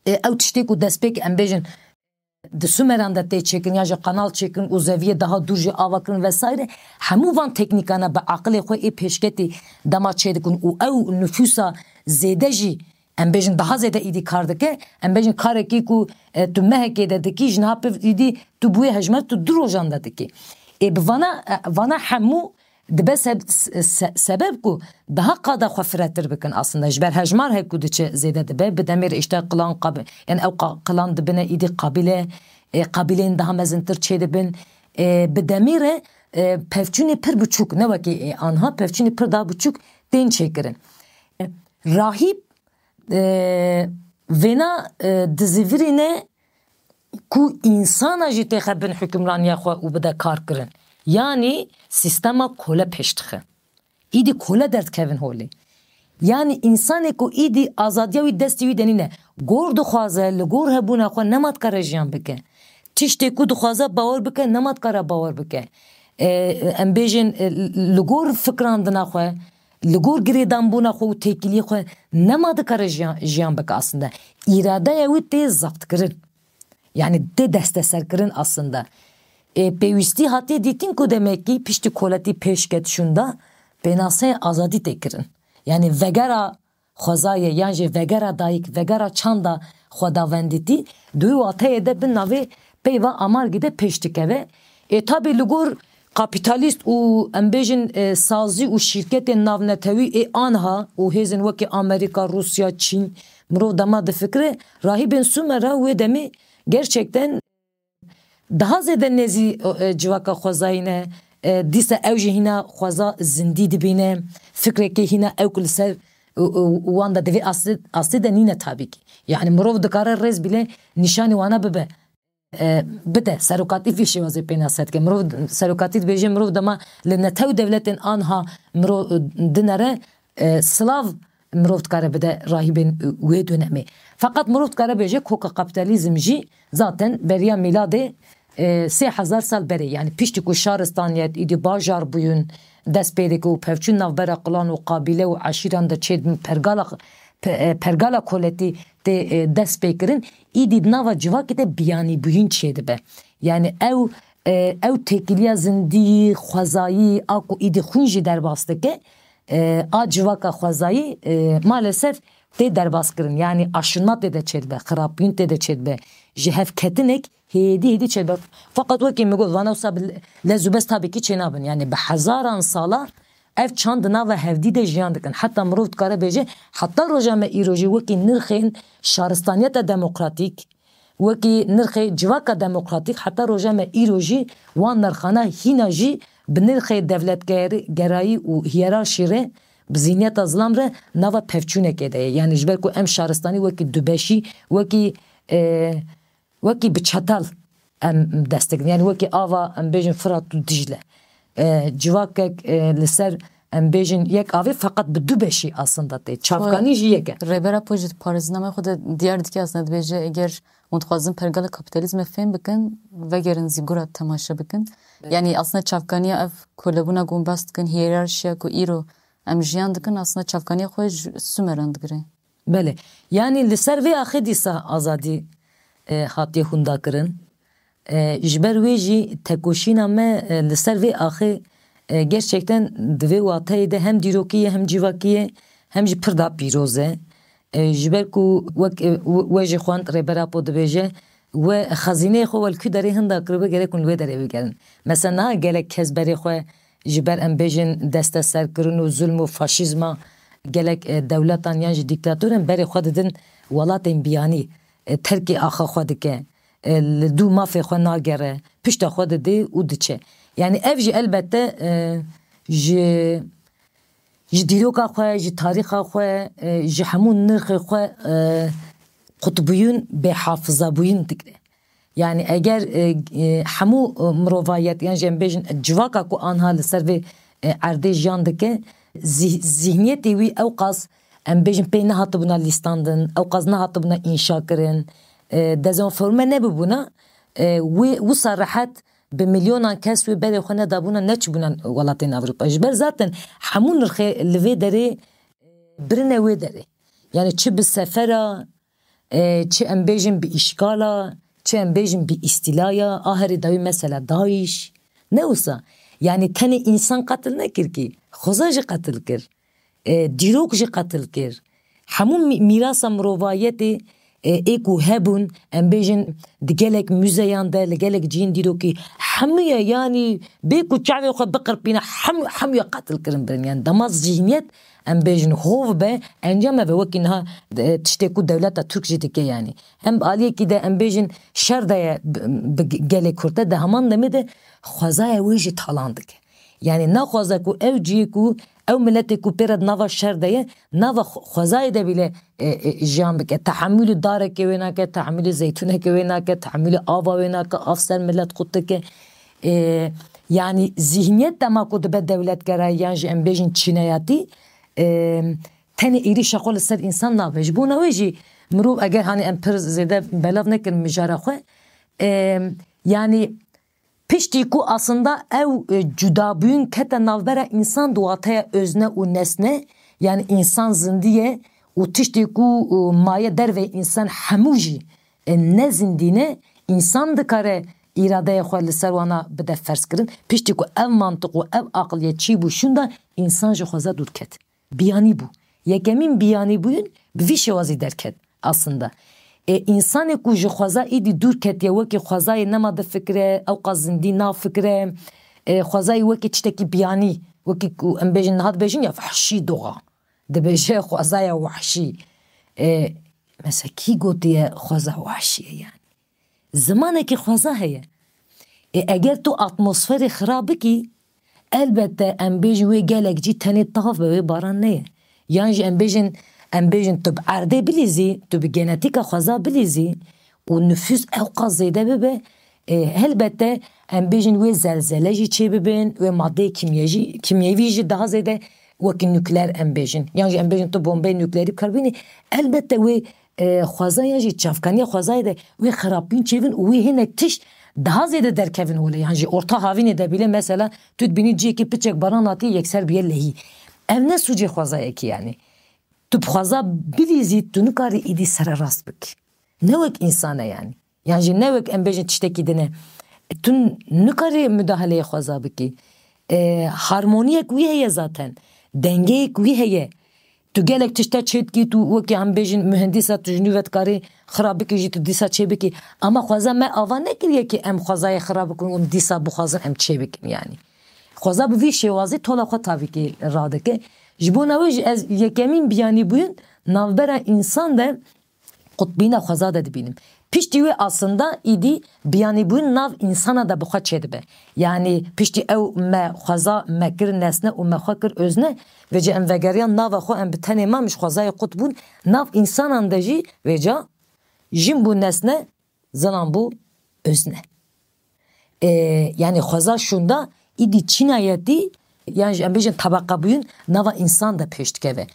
e, ew tiştê ku destpêk em bêjin di Sumeran de tê çêkirin, yan jî qanal çêkirin û zeviyê daha dûr jî ava kirin vesaire. Hemû van teknîkana bi aqilê xwe ê pêşketî dema çêdikin û ew nifûsa zêde jî em bêjin daha zêde îdî kar dike. Em bêjin karekî ku, e, tu mehekê de dikî, ji niha pir îdî tu bi wê hejmar tu du rojan de dikî. Ê bi vana, e, vana hemû dibe se-, se-, se-, sebeb ku daha qada xwe firetir bikin aslında. Ji ber hejmar her ku diçe zêde dibe. Bi demê re işte qilan qabi-, yani ew qa-, qilan dibine îdî qabîle, e, qabîlên daha mezintir çêdibin. E, bi demê re, e, pevçûnê pir biçûk, ne wekî, e, anha pevçûnê pir daha biçûk tên çêkirin. E, rahîb e, vêna, e, dizivirîne ku însana jî têxe bin hukimraniya xwe û bide kar kirin. Yanî sîstema kole pêş dixe. Îdî kole derdikevin holê. Yanî însanê ku îdî azadiya wî destê wî de nîne, gor dixwaze, li gor hebûna xwe nema dikare jiyan bike. Tiştê ku dixwaze bawer bike, nema dikare bawer bike. E, em bêjin, e, li gor fikrandina xwe, li gor girêdanbûna xwe û têkiliyê xwe nema dikare jiyan, jiyan bike aslında. Îradeya wî tê zebtkirin. Yani tê desteserkirin aslında. E, pêwîstî hatiye dîtin ku demekî piştî koletî pêş ket şûnda pênaseya azadî tê kirin. Yani vegera xwezayê yan jî vegera dayik, vegera çanda xwedawendîtî, di wî wateyê de bi navê peyva Amargî de pêş dikeve. Ê tabî li gor kapîtalîst û em bêjin, e, sazî û şîrketên navnetewî ê anha û hêzên wekî Amerîka, Rûsya, Çîn, mirov dema difikire, rahîbên Sumer re wê demê gerçekten daha zêde nêzî, e, civaka xwezayî ne. E, dîsa ew jî hîna xweza zindî dibîne. Fikrekê hîna ew ku li ser, e, e, wan de divê astê, astê de nîne tabî ki. Yani mirov dikare rêz bîle nîşanî wana bibe. E, bide, serokatî vî şêwazê pênase dike. Mirov, serokatî dibêje, mirov dema li netew dewletên anha mirov, e, dinere, e, silav mirov dikare bide rahîbên, e, wê dönemê. Feqet mirov dikare bêje koka kapîtalîzm jî zaten beriya mîladê, e, sê hezar sal berê, yani piştî ku şaristaniyet, îdî bajar bûyûn dest pê dike û pevçûn navbera qilan û qabîle û eşîran de çêdibin, pergala, pe-, e, pergala koletî tê, e, dest pê kirin, îdî di nava civakê de biyanîbûyîn çêdibe. Yani ew, e, ew têkiliya zindî, xwezayî, a ku îdî xwîn jî derbas dike, e, a civaka xwezayî, e, maalesef tê derbas kirin. Yani aşinma tê de çêdibe, xirapbûyîn tê de çêdibe. Ji hevketinek hêdî hêdî çêdibe. Feqet wekî min got, vana wisa bi lez û bez tabî ki çênabin. Yani bi hezaran sala Ev çand di nava hevdî de jiyan dikin. Heta mirov dikare bêje, heta roja me îro jî wekî nirxên şaristaniyeta demokratîk, wekî nirxê civaka demokratîk, heta roja me îro jî wan nirxana hîna jî bi nirxê dewletgerayî û hiyerarşî re, bi zihniyeta zilam re nava pevçûnekê de ye. Yani ji ber ku em şaristanî wekî dubeşî, wekî, e, wekî bi çetel em dest dikin. Yani wekî ava, em bêjin, Firat û Dicle. E, civakek, e, li ser, em bêjin, yek avê, feqet bi du beşî aslında tê. Çavkanî jî yek e. Rêber Apo jî di parêzinameyê xwe de diyar dike, aslında dibêje, eger hûn dixwazin pergala kapîtalîzmê fêm bikin, vegerin zîngora temaşe bikin. Evet. Yani aslında çavkaniya ev kolebûna ku hûn behs dikin, hiyerarşiya ku îro em jiyan dikin, aslında çavkaniya xwe ji Sumeran digire. Belê. Yani li ser vê axê dîsa azadî, e, hatiye hundakirin. E, ji ber wê jî tekoşîna me, e, li ser vê axê, e, gerçekten di vê wateyê de hem dîrokî ye, hem civakî ye, hem jî pir da pîroz e. E, ji ber ku wek, e, we, we jî xwend, Rêber Apo dibêje, we xezîneyê xwe welkû derê hinda kiribe, gerek hûn li wê derê bigerin. Mesela niha gelek kes berê xwe ji ber, em bêjin, desteserkirin û zulm û faşîzma gelek, e, dewletan yan jî dîktatoran berê xwe didin welatên biyanî, e, terkê axa xwe dike, e, li dû mafê xwe nagere, pişta xwe didê û diçe. Yani ev jî elbette, e, ji, ji dîroka xwe, ji tarîxa xwe, e, ji hemû nirxê xwe, e, qutbûyîn, bêhafizabûyîn digre. Yani eger, e, e, hemû, e, mirovayet, yan jî em bêjin civaka ku anha li ser vê, e, erdê jiyan dike, zih-, zihniyetê wî ewqas, em bêjin, pê nehatibûna lîstandin, ewqas nehatibûna înşa kirin, e, dezenforme nebibûna, e, wê wisa rehet bi milyonan kes wê berê xwe nedabûna, neçibûna welatên Ewropa. Ji ber zaten hemû nirxê li vê derê birine wê derê. Yani çi bi sefera, e, çi em bêjin bi îşkala, çi em bêjin bi îstîlaya, a herî dawî mesela DAIŞ. Ne wisa. Yani tenê însan qetil nekir kî, xweza jî qetil kir. E, dîrok jî qetil kir. Hemû mî-, mîrasa mirovayetê, e, ê ku hebûn, em bêjin, di gelek muzeyan de, li gelek cihên dîrokî, hemûye, yani bê ku çavê xwe biqirpîne, hemû, hemûye qetil kirin, birin. Yani dema zihniyet, em bêjin, hov be, encam eve wekî niha, e, tiştê ku dewleta Tirk jî dike, yani. Hem aliyekî de, em bêjin, şer de ye bi, bi gelê Kurd de, di heman demê de xwezaya wê jî talan dike. Yani naxwaze ku ew cihê ku ew miletê ku pê re di nava şer de ye, nava xwe-, xwezayê de bîle, e, e, jiyan bike. Tehemûlî darekê wê nake, tehemûlî zeytûnekê wê nake, tehemûlî ava wê nake, av ser milet qut dike. E, yani zihniyet dema ku dibe dewletgerayî yan jî em bêjin çîneyatî, e, tenê êrîşa xwe li ser însan nabe. Ji bona wê jî mirov, eger hani em pir zêde belav nekin mijara xwe, e, yani piştî ku aslında ew, e, cudabûyîn kete navbera însan di wateya özne û nesne, yani însan zindî ye û tiştê ku, e, maye derveyê însan hemû jî, e, ne zindî ne, însan dikare îradeya xwe li ser wana bide ferzkirin. Piştî ku ev mantiq û ev aqiliyet çêbû şûnda, însan ji xweza dûr ket. Biyanî bû. Yekemîn biyanîbûyîn bi vî şêwazî derket aslında. E, însanê ku ji xweza êdî dûr ketiye, wekî xwezayê nema difikire, ewqas zindî nafikire, e, xwezayê wekî tiştekî biyanî, wekî ku em bêjin, niha dibêjin ya vehşî doğa. Dibêje xwezaya wehşî. E, mesela kî gotiye xweza wehşî ye yani? Zimanekî xweza heye. Ê, eger tu atmosferê xira bikî, elbette em bêjin wê gelek cî tenê tav be, wê baran neye. Yan jî em bêjin, em bêjin tu bi erdê bilîzî, tu bi genetîka xweza bilîzî û nifûs ewqas zêde bibe, ê, helbette em bêjin wê zelzele jî çêbibin, wê madeyê kîmyejî-, kîmyevî jî daha zêde wekî nukleer em bêjin. Yan jî em bêjin tu bombeyê nukleerî bi kar bînî, elbette wê e, xwezaya jî çavkaniya xwezayê de wê xirabîn çêbin û wê hinek tişt daha zêde derkevin holê. Yan jî orta havînê de bîle mesela tu dibînî cihekî piçek baran hatiye yekser biye lehî. Ev ne sûcê xwezayekî yani. Tu bi xweza bilîzî tu nikarî êdî sererast bikî. Ne wek însan e yani. Yan jî ne wek em bêjin tiştekî din e. Tu nikarî mudaheleyê xweza bikî. E, harmoniyek wî heye zaten. Dengeyek wî heye. Tu gelek tişta çêdikî, tu wekî em bêjin muhendîsa, tu ji nû ve dikarî xira bikî jî tu dîsa çê bikî. Ama xweza me ava nekiriye ki em xwezayê xira bikin û em dîsa bixwazin em çê bikin yani. Xweza bi vî şêwazî tola xwe tavîkê radike. Ji bona wê jî ez yekemîn biyanîbûyîn navbera însan de qutbîna xweza de dibînim. Piştî wê aslında îdî biyanîbûyîn nav însana de bi xwe çêdibe. Yanî piştî ew me xweza me kir nesne û me xwe kir özne, vêca em vegeriyan nava xwe em bi tenê mamiş xwezayê qut bûn, nav însanan de jî vêca jin bû nesne, zilam bû özne. E, yanî xweza şûnda îdî çînayetî, yan jî em bêjin tebeqebûyîn nava însan de pêş dikeve.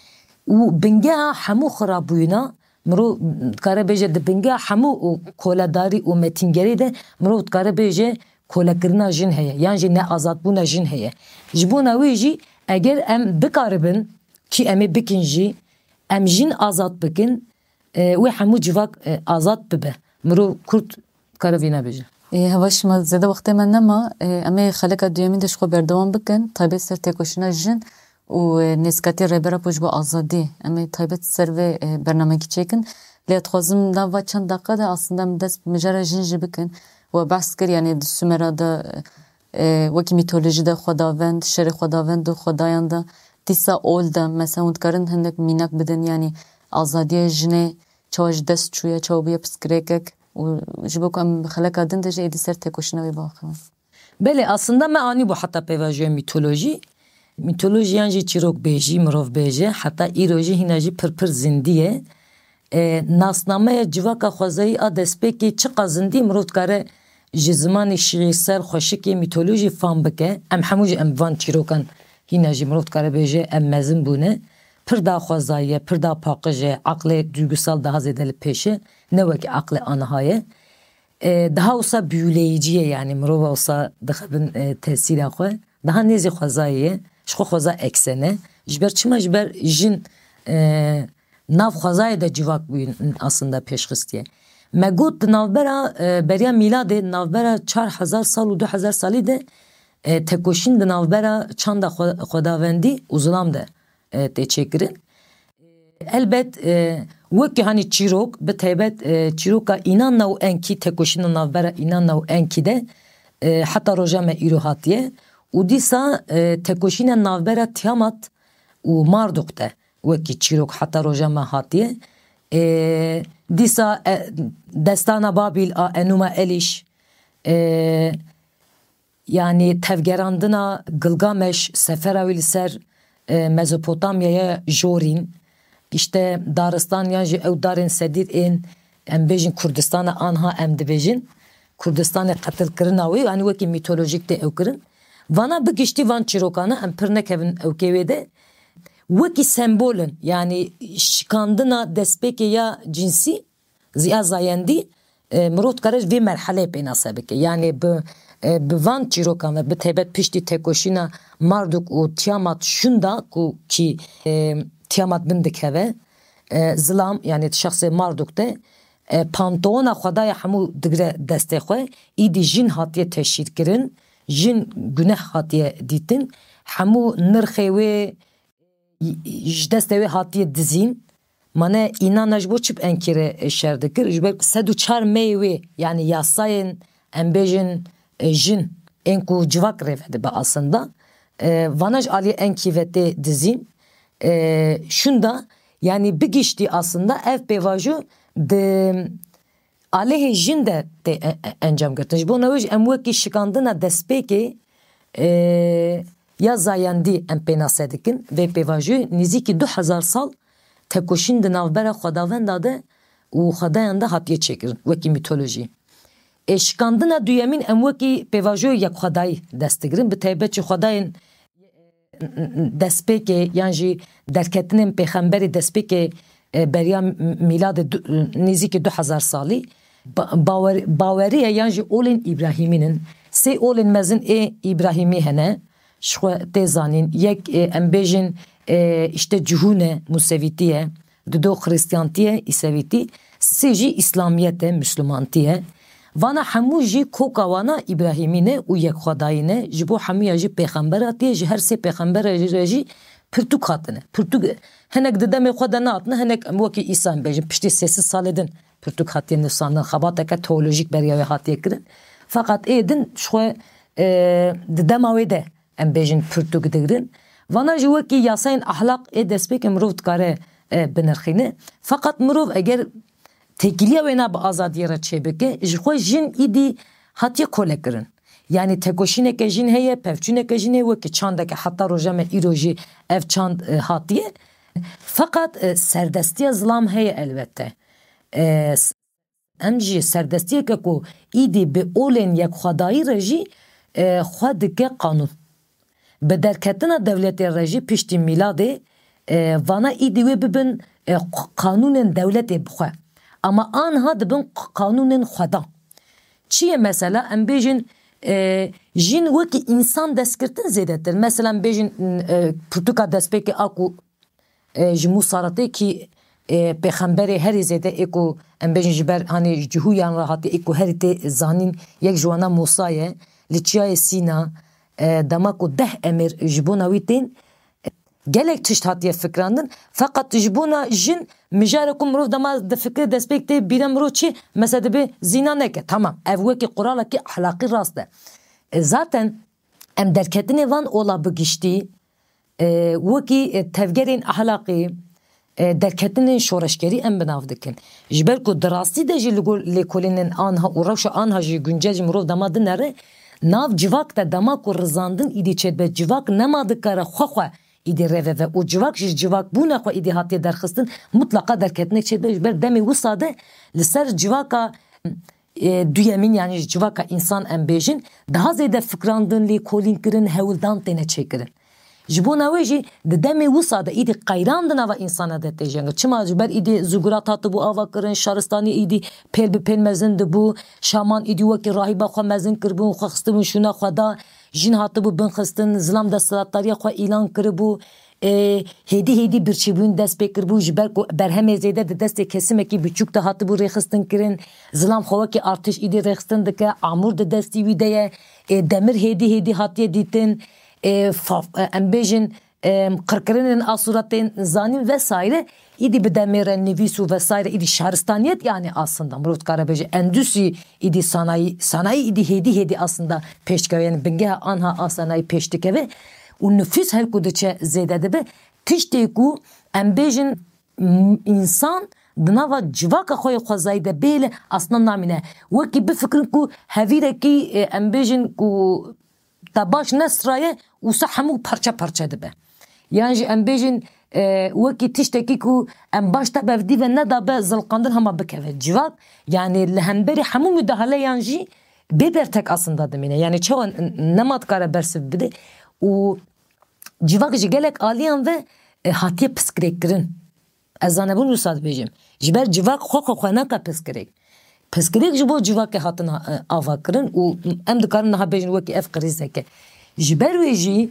Û bingeha hemû xirabûyîna, mirov dikare bêje di bingeha hemû û koledarî û metîngerî de mirov dikare bêje kolekirina jin heye, yan jî neazadbûna jin heye. Ji bona wê jî eger em bikaribin, kî em ê bikin jî, em jin azad bikin, e, wê hemû civak, e, azad bibe. Mirov kurd kare vî nebêje. Ê, heva şima, zêde wextê me nema. Ê, em ê xeleka duyemîn de ji xwe berdewam bikin. Taybet ser têkoşîna jin û, e, nêzîkatiyê Rêber Apo ji bo azadî. Em ê taybet ser vê, e, bernamekî çêkin. Lê ez dixwazim nava çend deqa de aslında em dest bi mijara jin jî bikin. We behs kir, yanî di Sumera de, e, wekî mîtolojî de xwedavend, şerê xwedavend û xwedayan de dîsa ol de, mesela hûn dikarin hinek mînak bidin, yanî azadiya jinê çawa ji dest çûye, çawa bûye pirsgirêkek û ji bo ku em bi xeleka din de jî êdî ser têkoşîna wê biaxivin. Belê, aslında me anîbû heta pêvajoya mîtolojî. Mîtolojî yan jî çîrokbêjî, mirovbêje, heta îro jî hîna jî pir pir zindî ye. E, nasnameya civaka xwezayî a destpêkê çiqas zindî mirov dikare ji zimanê şîîrsel, xweşikê, mîtolojî fam bike. Em hemû jî em van çîrokan hîna jî mirov dikare bêje em mezin bûne. Pir da xwezayî ye, pir da paqij e, aqlê duygusal daha zêde li pêş e, ne wekî aqlê aniha ye. E, daha wisa büyüleyici ye, yanî mirova wisa dixe bin, e, tesîra xwe. Daha nêzî xwezayê ye, ji xwe xweza eksene. Ji ber çima? Ji ber jin, e, nav xwezayê de civak bûyîn aslında pêşxistiye. Me got di navbera, e, beriya mîladê, navbera çar hezar sal û du hezar salî de, e, tekoşîn di navbera çanda xwe-, xwedavendî û zilam de, e, tê çêkirin. Elbet, e, wekî hanî çîrok, bi taybet, e, çîroka Înanna û Enkî, tekoşîna navbera Înanna û Enkî de, e, heta roja me îro hatiye û dîsa, e, tekoşîna navbera Tiamat û Marduk de wekî çîrok heta roja me hatiye. E, dîsa, e, Destana Babîl a Enûma Elîş, e, yanî tevgerandina Gilgameş, sefera wî li ser, e, Mezopotamyaya jorîn, îşte daristan yan jî ew darên sedîr ên, em bêjin Kurdistana anha em dibêjin, Kurdistanê qetilkirina wî, yanî wekî mîtolojîk tê ew kirin. Vana bi giştî van çîrokana em pir nekevin ewkê wê de, wekî sembol in, yanî şikandina destpêkê ya cinsî, ziya zayendî, e, mirov dikare vê merheleyê pênase bike. Yanî bi, e, bi van çîrokan ve, bi taybet piştî têkoşîna Marduk û Tiamat şûnda ku kî, e, Tiamat bin dikeve, e, zilam, yanî di şexsê Marduk de, e, panteona xwedaya hemû digire destê xwe, îdî jin hatiye teşhîrkirin, jin guneh hatiye dîtin, hemû nirxê wê, ji destê wê hatiye dizîn. Mane Înanna ji bo çi bi Enkî re şer dikir? Ji ber sed û çar meyê wê, yanî yasayên, em bêjin, e, jin, ên ku civak rê vedibe aslında. E, vana ji aliyê Enkî ve tê dizîn. E, şûnda, yanî bi giştî aslında ev pêvajo di aleyhê jin de tê e-, e-, encam girtin. Ji bo newê jî em wekî şikandina destpêkê, e, ya zayendî em pênase dikin. Vê pêvajoyê nêzîkî du hezar sal tekoşîn di navbera xwedavenda de û xwedayan de hatiye çêkirin, wekî mîtolojî. Ê şikandina duyemîn em wekî pêvajoyê yekxwedayî dest digirin. Bi taybet jî xwedayên destpêkê yan jî derketinên pêxemberê destpêkê, e, beriya m-, mîladê du-, nêzîkî du hezar salî ba-, bawer-, bawerî ye yan jî olên Îbrahîmîn in. Sê olên mezin ê Îbrahîmî hene, ji xwe tê zanîn. Yek, e, em bêjin, e, îşte cihûn e, Musevîtî ye. Dido Xirîstiyantî ye, Îsevîtî, sisê jî Îslamiyet e, Mislimantî ye. Vana hemû jî koka wana Îbrahîmî ne û yekxwedayî ne, ji bo hemûya jî pêxember hatiye, ji her sê pêxembera jî re jî pirtûk hatine. Pirtûk hinek di demê xwe de nehatine, hinek em wekî Îsa em bêjin, piştî sê sed salê din pirtûk hatiye nivîsandin, xebateke teolojîk beriya wê hatiye kirin. Feqet ê din ji xwe, e, di dema wê de em bêjin pirtûk digirin. Vana jî wekî yasayên ahlaq ê destpêkê mirov dikare e, binirxîne. Feqet mirov eger têkiliya wêna bi azadiyê re çêbike, ji xwe jin îdî hatiye kolekirin. Yanî tekoşîneke jin heye, pevçûneke jin heye, wekî çandeke heta roja me îro jî ev çand e, hatiye. Feqet e, serdestiya zilam heye elbette. E, s- em jî serdestiyeke ku îdî bi olên yekxwedayî re jî e, xwe dike qanûn. Bi derketina dewletê re jî piştî mîladê e, vana îdî wê bibin e, q- qanûnên dewletê bi xwe. Ama anha dibin q- qanûnên xwedan. Çi ye mesela? Em bêjin e, jin wekî însan destgirtin zêdetir. Mesela em bêjin e, pirtûka destpêkê a ku e, ji Mûsa re tê kî e, pêxemberê herî zêde ê ku em bêjin ji ber hanê cihûyan re hatî ê ku herî tê zanîn yek ji wana Mûsa ye. Li Çiyayê Sîna e, dema ku deh emir ji bona wî tên, gelek tişt hatiye fikrandin. Feqet ji bona jin mijare ku mirov dema difikire destpêk tê bîra mirov çi? Mesela dibe zîna neke. Tamam, ev wekî quralekî ahlaqî rast e. E, zaten em derketinê van ola bi giştî e, wekî e, tevgerên ahlaqî e, derketinên şoreşgerî em bi nav dikin. Ji ber ku di rastî de jî li gor lêkolînên anha û rewşa anha jî guncel ji mirov dema dinere, nav civak de dema ku rizandin îdî çêdibe, civak nema dikare xwe xwe îdî rêve ve û civak ji civakbûna xwe îdî hatiye derxistin, mutlaqa derketinek çêdibe. Ji ber demê wisa de li ser civaka e, duyemîn, yanî ji civaka însan em bêjin, daha zêde fikrandin, lêkolîn kirin, hewldan têne çêkirin. Ji bona wê jî di demê wisa de îdî qeyran di nava însana de tê jengin. Çima? Ji ber îdî zigurat hatibû ava kirin, şaristanî îdî pêl bi pêl mezin dibû, şaman îdî wekî rahîba xwe mezin kiribûn, xwe xistibûn şûna xwe da, jin hatibû binxistin, zilam desthilatdariya xwe îlan kiribû, e, hêdî hêdî birçîbûn dest pê kiribû, ji ber ku berhemê zêde di destê kesimekî biçûk de hatibû rêxistin kirin, zilam xwe wekî artêş îdî rêxistin dike, amûr di destî wî de ye, e, demir hêdî hêdî hatiye dîtin, e, fa-, e, em bêjin, e, qirkirinên asûra tên zanîn vesaire, îdî bi demê re nivîs û vesaire îdî şaristaniyet, yanî aslında mirov dikare bêje endûsî îdî sanayî, sanayî îdî hêdî hêdî aslında pêş dikeve, yanî bingeha anha a sanayî pêş dikeve û nifûs her ku diçe zêde dibe, tiştê ku em bêjin m- însan di nava civaka xwe yê xwezayî de bêle aslında namîne. Wekî bifikirin ku hevîrekî e, em bêjin ku te baş nesiraye, wisa hemû parçe parçe dibe. Yan jî em bêjin e, wekî tiştekî ku em baş te bevdî ve nedabe zilqandin hema bikeve civak. Yanî li hemberî hemû mudahaleyan jî bê bertek aslında dimîne. Yanî çawa n- nema dikare bersiv bide û civak ji gelek aliyan ve e, hatiye piskirêkkirin. Ez zanebûn wisa dibêjim. Ji ber civak xwe xwe xwe nake piskirêk. Piskirêk ji bo civakê hatin e, ava kirin û em dikarin niha bêjin wekî ev krîzeke. Ji ber wê jî,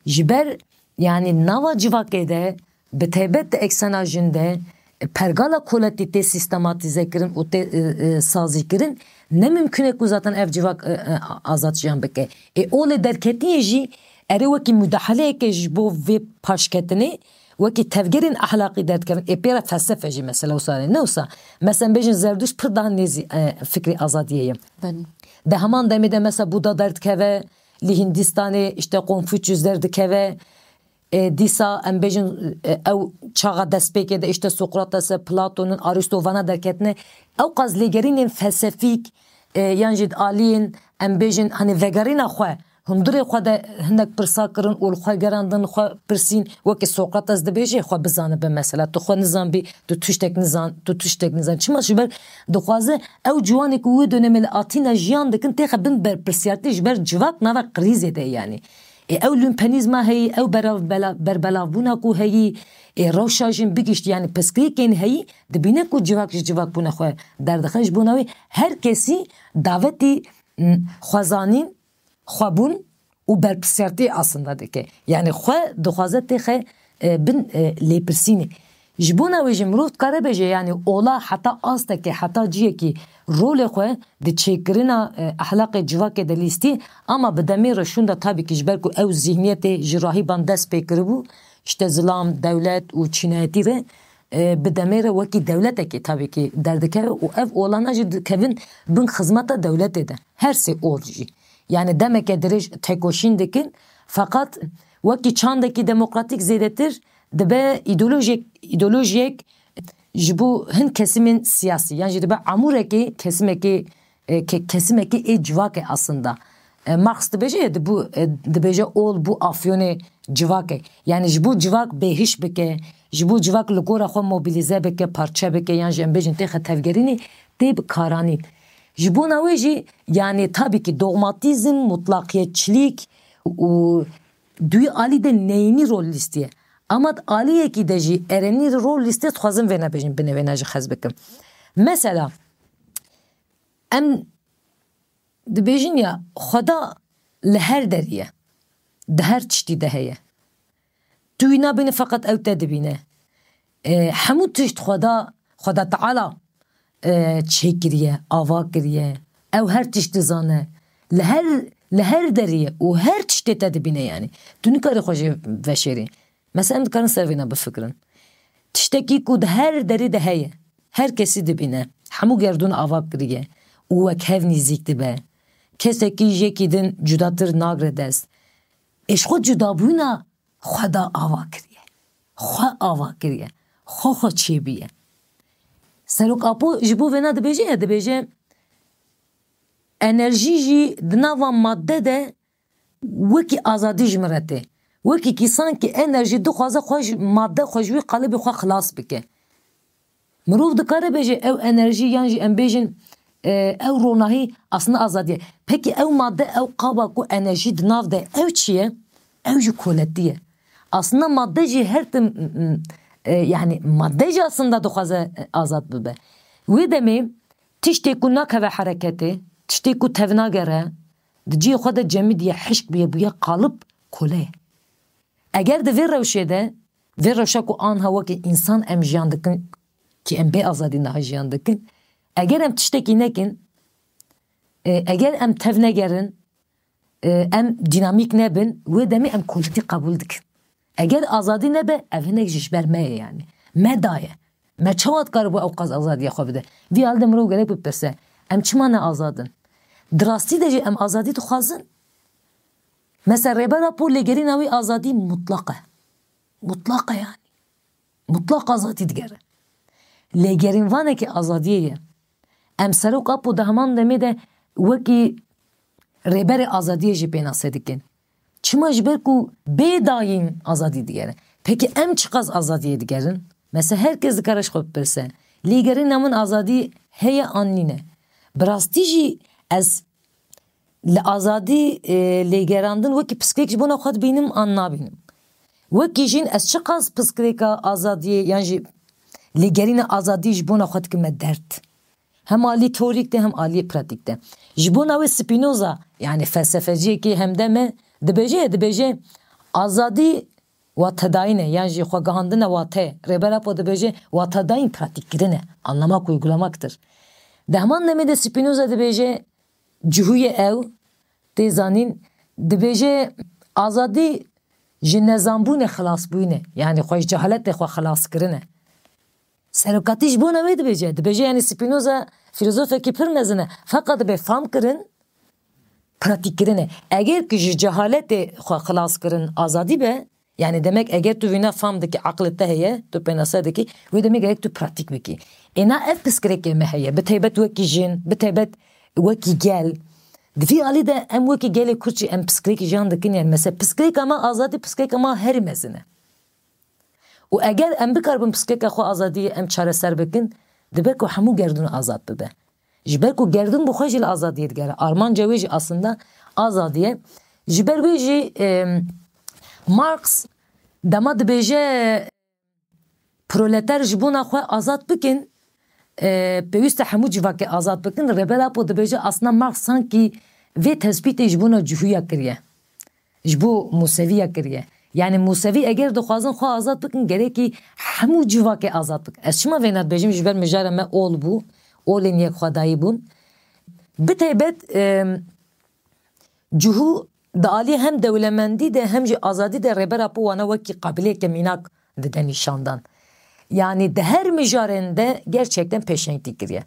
ji ber, yanî nava civakê de, bi taybet di eksena jin de, e, pergala koletî tê sîstematîze kirin û tê e, e, sazî kirin, ne mimkun e ku zaten ev civak e, e, azad jiyan bike. Ê olê derketiyê jî erê wekî mudahaleyeke ji bo vê paşketinê, wekî tevgerên ahlaqî derdikevin. Ê pê re felsefe jî mesela wisa ne wisa. Mesela em bêjin Zerdûşt pir daha nêzî e, fikrê azadiyê ye. Belê. Di heman demê de mesela Buda derdikeve, li Hindistanê işte Konfuçyus derdikeve. E, dîsa em bêjin e, ew çaxa destpêkê de işte Sokrates e, Platon'un, Aristo vana derketine. Ew qas lêgerînên felsefîk e, yan jî di aliyên em bêjin hani vegerîna xwe, hundirê xwe de hinek pirsa kirin û li xwe gerandin, xwe pirsîn, wekî Sokrates dibêje, xwe bizanibe mesela. Tu xwe nizanbî, tu tiştek nizan, tu tiştek nizan. Çima? Ji ber dixwaze ew ciwanê ku wê dönemê li Atîna jiyan dikin, têxe bin berpirsiyartî ji ber civak nava krîzê de yanî. Ê ew lumpenîzma heyî, ew berav-, bela-, berbelavbûna ku heyî, ê rewşa jin bigişt, yanî piskirêkên heyî, dibîne ku civak ji civakbûna xwe derdixe. Ji bona wê her kesî davetî, m, xwezanîn, xwebûn û berpirsiyartiyê aslında dike. Yanî xwe dixwaze têxe, e, bin, e, lêpirsînê. Ji bona wê jî mirov dikare bêje, yanî ola heta astekê, heta ciyekî rolê xwe di çêkirina, e, ehlaqê civakê de lîstî, ama bi demê re şûnda tabî kî ji ber ku ew zîhniyetê ji rahîban dest pê kiribû, işte zilam, dewlet û çînayetî re, e, bi demê re wekî dewletekê tabî kî derdikeve û ev olana jî dikevin bin xizmeta dewletê de. Her sê ol jî. Yani demeke dirêj têkoşîn dikin, feqet wekî çandekî demokratîk zêdetir dibe îdeolojiyek, îdeolojiyek ji bo hin kesimên siyasî, yan jî dibe amûrekê kesimekê, e, ke-, kesimekê ê civakê aslında. E, Marx dibêje, dibû, e, dibêje ol bû afyonê civakê. Yani ji bo civak bêhiş bike, ji bo civak li gora xwe mobilize bike, parçe bike, yan jî em bêjin têxe tevgerînê, tê bi karanîn. Ji bona wê jî, yani tabî ki dogmatîzm, mutlaqiyetçilik û duy alî de neyînî rol lîstiye. Ama di aliyekî de jî erenî rol lîstiye, dixwazim vêna bêjim, binê vêna jî xez bikim. Mesela, em dibêjin ya, Xweda li her derî ye. Di her tiştî de heye. Tu wî nabînî, feqet ew te dibîne. E, hemû tişt Xweda, Xweda Teala, e, çêkiriye, ava kiriye. Ew her tişt dizane. Li her, li her derî ye û her tiştê te dibîne yani. Tu nikarî xwe jê veşêrî. Mesela em dikarin ser vêna bifikirin. Tiştekî ku di her derî de heye, her kesî dibîne, hemû gerdûn ava kiriye û wek hev nîzîk dibe. Kesekî ji yekî din cudatir nagre dest. Ê ji xwe cudabûna Xweda ava kiriye. Xwe ava kiriye. Xwe xwe çêbûye. Serok Apo ji bo vêna dibêje, ya dibêje, enerjî jî di nava madde de wekî azadî ji min re tê. Wekî kî sankî enerjî dixwaze xwe ji madde xwe ji wî qalibê xwe xilas bike. Mirov dikare bêje ew enerjî yan jî em bêjin, e, ew ronahî aslında azadî ye. Pekî ew madde, ew qaba ku enerjî di nav de ew çi ye? Ew jî koletî ye. Aslında madde jî her tim, m-, m-, e, yani madde jî aslında dixwaze, e, azad bibe. Wê demê tiştê ku nakeve hereketê, tiştê ku tevnagere, di cihê xwe de cemidiye, hişk bûye, bûye qalib, kole ye. Eger di vê rewşê de, vê rewşa ku anha wekî însan em jiyan dikin, ki em bê azadî niha jiyan dikin, eger em tiştekî nekin, e, eger em tev negerin, e, em dînamîk nebin, wê demê em koletî qebûl dikin. Eger azadî nebe, ev hinek jî ji ber me ye yani. Me daye. Me çawa dikaribû ew qas azadiya xwe bide? Vî alî de mirov gerek bipirse, em çima ne azad in? Di rastî de jî em azadî dixwazin? Mesela Rêber Apo lêgerîna wî azadî mutlaq e. Mutlaq e yani. Mutlaq azadî digere. Lêgerînvanekî azadiyê ye. Em Serok Apo di heman demê de wekî rêberê azadiyê jî pênase dikin. Çima? Ji ber ku bê dayîn azadî digere. Pekî em çiqas azadiyê digerin? Mesela her kes dikare ji xwe bipirse, lêgerîna min azadî heye an nîne? Bi rastî jî ez li azadî, e, lêgerandin wekî pirsgirêk ji bona xwe dibînim an nabînim? Wekî jin ez çiqas pirsgirêka azadiyê yan jî lêgerîna azadî ji bona xwe dikime derd? Hem alî teorîk de hem alî pratîk de. Ji bona wê Spinoza, yani felsefeciyekî hemdem e, dibêje, dibêje, azadî watedayîn e, yan jî xwegihandina wate. Rêber Apo dibêje, watedayîn pratîkkirin e, anlamak, uygulamaktır. Di heman demê de Spinoza dibêje, cihû ye ew, tê zanîn, dibêje, azadî ji nezanbûnê xilasbûyîn e, yani xwe ji cehaletê xwe xilaskirin e. Serokatî ji bona wê dibêje. Dibêje, yani Spinoza filozofekî pir mezin e. Feqet dibe fam kirin, pratîk kirin e. Eger ki ji cehaletê xwe xilas kirin azadî be, yani demek eger tu vîna fam dikî, aqilê te heye, tu pênase dikî, wê demê gerek tu pratîk bikî. Êna ev pirsgirêkê me heye, bi taybet wekî jin, bi taybet wekî gel. Di vî alî de em wekî gelê Kurd jî em pirsgirêkî jiyan dikin, yani mesela pirsgirêka me azadî, pirsgirêka me herî mezin e. Û eger em bikaribin pirsgirêka xwe azadiyê em çareser bikin, dibe ku hemû gerdûn azad bibe. Ji ber ku gerdûn bi xwe jî li azadiyê digere. Armanca wê jî aslında azadî ye. Ji ber wê jî, em, Marx dema dibêje, proleter ji bona xwe azad bikin, e, pêwîst e hemû civakê azad bikin. Rêber Apo dibêje, aslında Marx sankî vê tespîtê ji bona cihûya kiriye. Ji bo Mûseviya kiriye. Yani Mûsevî eger dixwazin xwe azad bikin, gerekî hemû civakê azad bikin. Ez çima vêna dibêjim? Ji ber mijara me ol bû, olên yekxwedayî bûn. Bi taybet, em, cihû di alî hem dewlemendî de hem jî azadî de Rêber Apo wana wekî qabileyeke mînak dide nîşandan. Yani di her mijarên de gerçekten pêşengtî kiriye.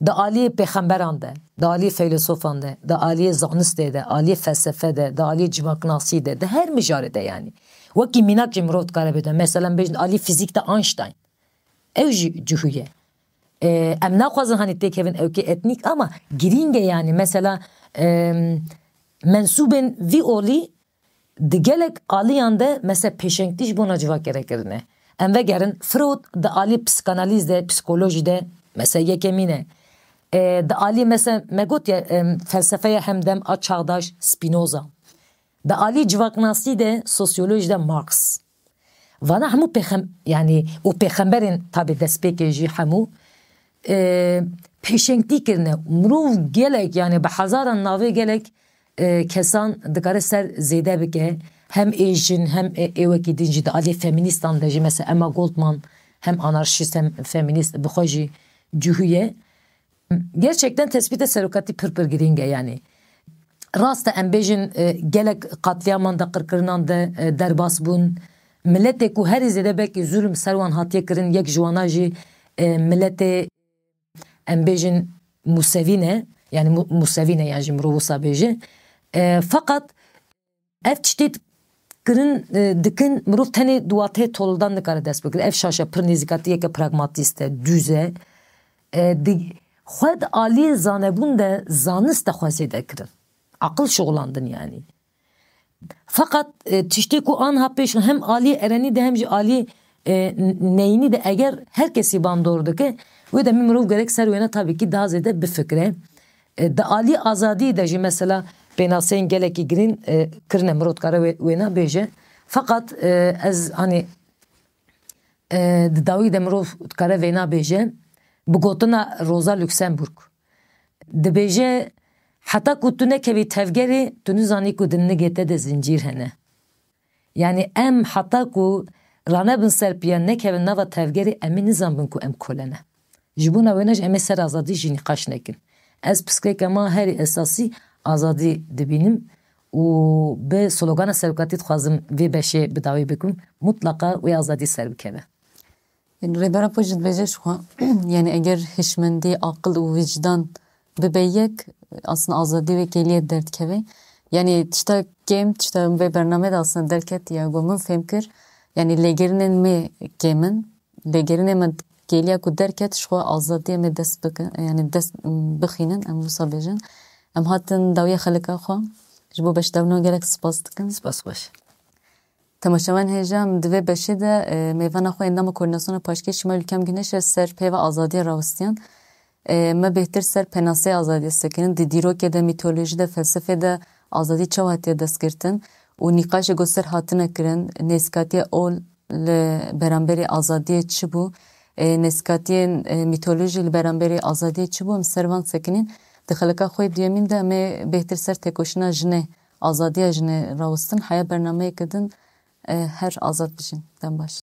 Di aliyê pêxemberan de, di aliyê feylesofan de, di aliyê zanistê de, aliyê felsefe de, di aliyê civaknasî de, di her mijarê de yanî. Wekî mînak jî mirov dikare bêje. Mesela em bêjin aliyê fîzîk de Einstein. Ew jî cihû ye. E, em naxwazin hanî têkevin ewkê etnîk ama girîng e yanî. Mesela, e, mensûbên vî olî di gelek aliyan de mesela pêşengtî ji bona civakê re kirine. Em vegerin Freud di alî psikanalîz de, psikolojî de mesela yekemîn e. E, di alî mesela me got ya, em, felsefeya hemdem a çağdaş Spinoza. Di alî civaknasî de, sosyolojî de Marx. Vana hemû pêxem-, yanî û pêxemberên tabî destpêkê jî hemû, e, pêşengtî kirine. Mirov gelek, yanî bi hezaran navê gelek, e, kesan dikare ser zêde bike. Hem ê jin, hem ê, ê wekî din jî di aliyê feminîstan de jî, mesela Emma Goldman hem anarşîst hem feminîst bi xwe jî cihû ye. Gerçekten tespîta serokatî pir pir girîng e yanî. Rast e em bêjin, e, gelek qatliaman de, qirkirinan de, e, derbas bûn. Miletê ku herî zêde belkî zulm ser wan hatiye kirin, yek ji wana jî, e, miletê em bêjin Musevî ne, yanî Mu-, Musevî ne yan jî mirov wisa bêje. E, feqet ev tiştê kirin, e, dikin, mirov tenê di wateyê toldan nikare dest bigire. Ev şaş e, pir nêzîkatiyeke pragmatîst e, dûz e. E, di, xwe di aliyê zanebûn de, zanist de xwe zêde kirin. Aqil şixulandin yanî. Feqet, e, tiştê ku anha pêş hem aliyê erenî de hem jî aliyê, e, n-, neyînî de eger her kesî bandor dike, wê demê mirov gerek ser wêne tabî kî daha zêde bifikire. E, di alî azadî de jî mesela pênaseyên gelekî girîn, e, kirine, mirov dikare wê-, wêna bêje. Feqet, e, ez, hanî, e, di dawî de mirov dikare vêna bêje, bi gotina Rosa Luxemburg. Dibêje, heta ku tu nekevî tevgerê, tu nizanî ku di nigê te de zincîr hene. Yanî em heta ku ranebin ser piya, nekevin nava tevgerê, em ê nizanbin ku em kole ne. Ji bona wêne jî em ê ser azadî jî nîqaş nekin. Ez pirsgirêka me herî esasî azadî dibînim û bi slogana serokatî dixwazim vê beşê bi dawî bikim. Mutlaqa wê azadî ser bikeve. Yanî Rêbera Pûç dibêje ji xwe, yanî eger hişmendî, aqil û wîcdan bibe yek, aslında azadî wê kêliyê derdikeve. Yanî tişta kêm, tişta vê bernameyê de aslında derketiye, ku min fêm kir, yanî lêgerînên me kêm in. Lêgerînê me kêliya ku derket, ji xwe azadiyê me dest bikin, yanî dest bixînin, em wisa bêjin. Em hatin dawiya xelika xwe. Ji bo beşdabûna gelek spas dikim. Spas xweş. Temaşevan hêja, em di vê beşê de, e, mêvana xwe endama Koordînasyona Paşkêş Şima Ülkem Güneş e ser peyva azadiyê rawistiyan. E, me bêhtir ser pênaseyê azadiyê sekinin. Di dîrokê de, mîtolojî de, felsefê de azadî çawa hatiye destgirtin û nîqaşê ku ser hatine kirin, nêzîkatiya ol li beramberî azadiyê çi bû? E, nêzîkatiyên, e, mîtolojî li beramberî azadiyê çi bû? Em ser van sekinîn. Di xelika xwe yê duyemîn de em ê bêhtir ser têkoşîna jinê, azadiya jinê rawistin. Heya bernameyeke din, e, her azad bijîn. Dem baş.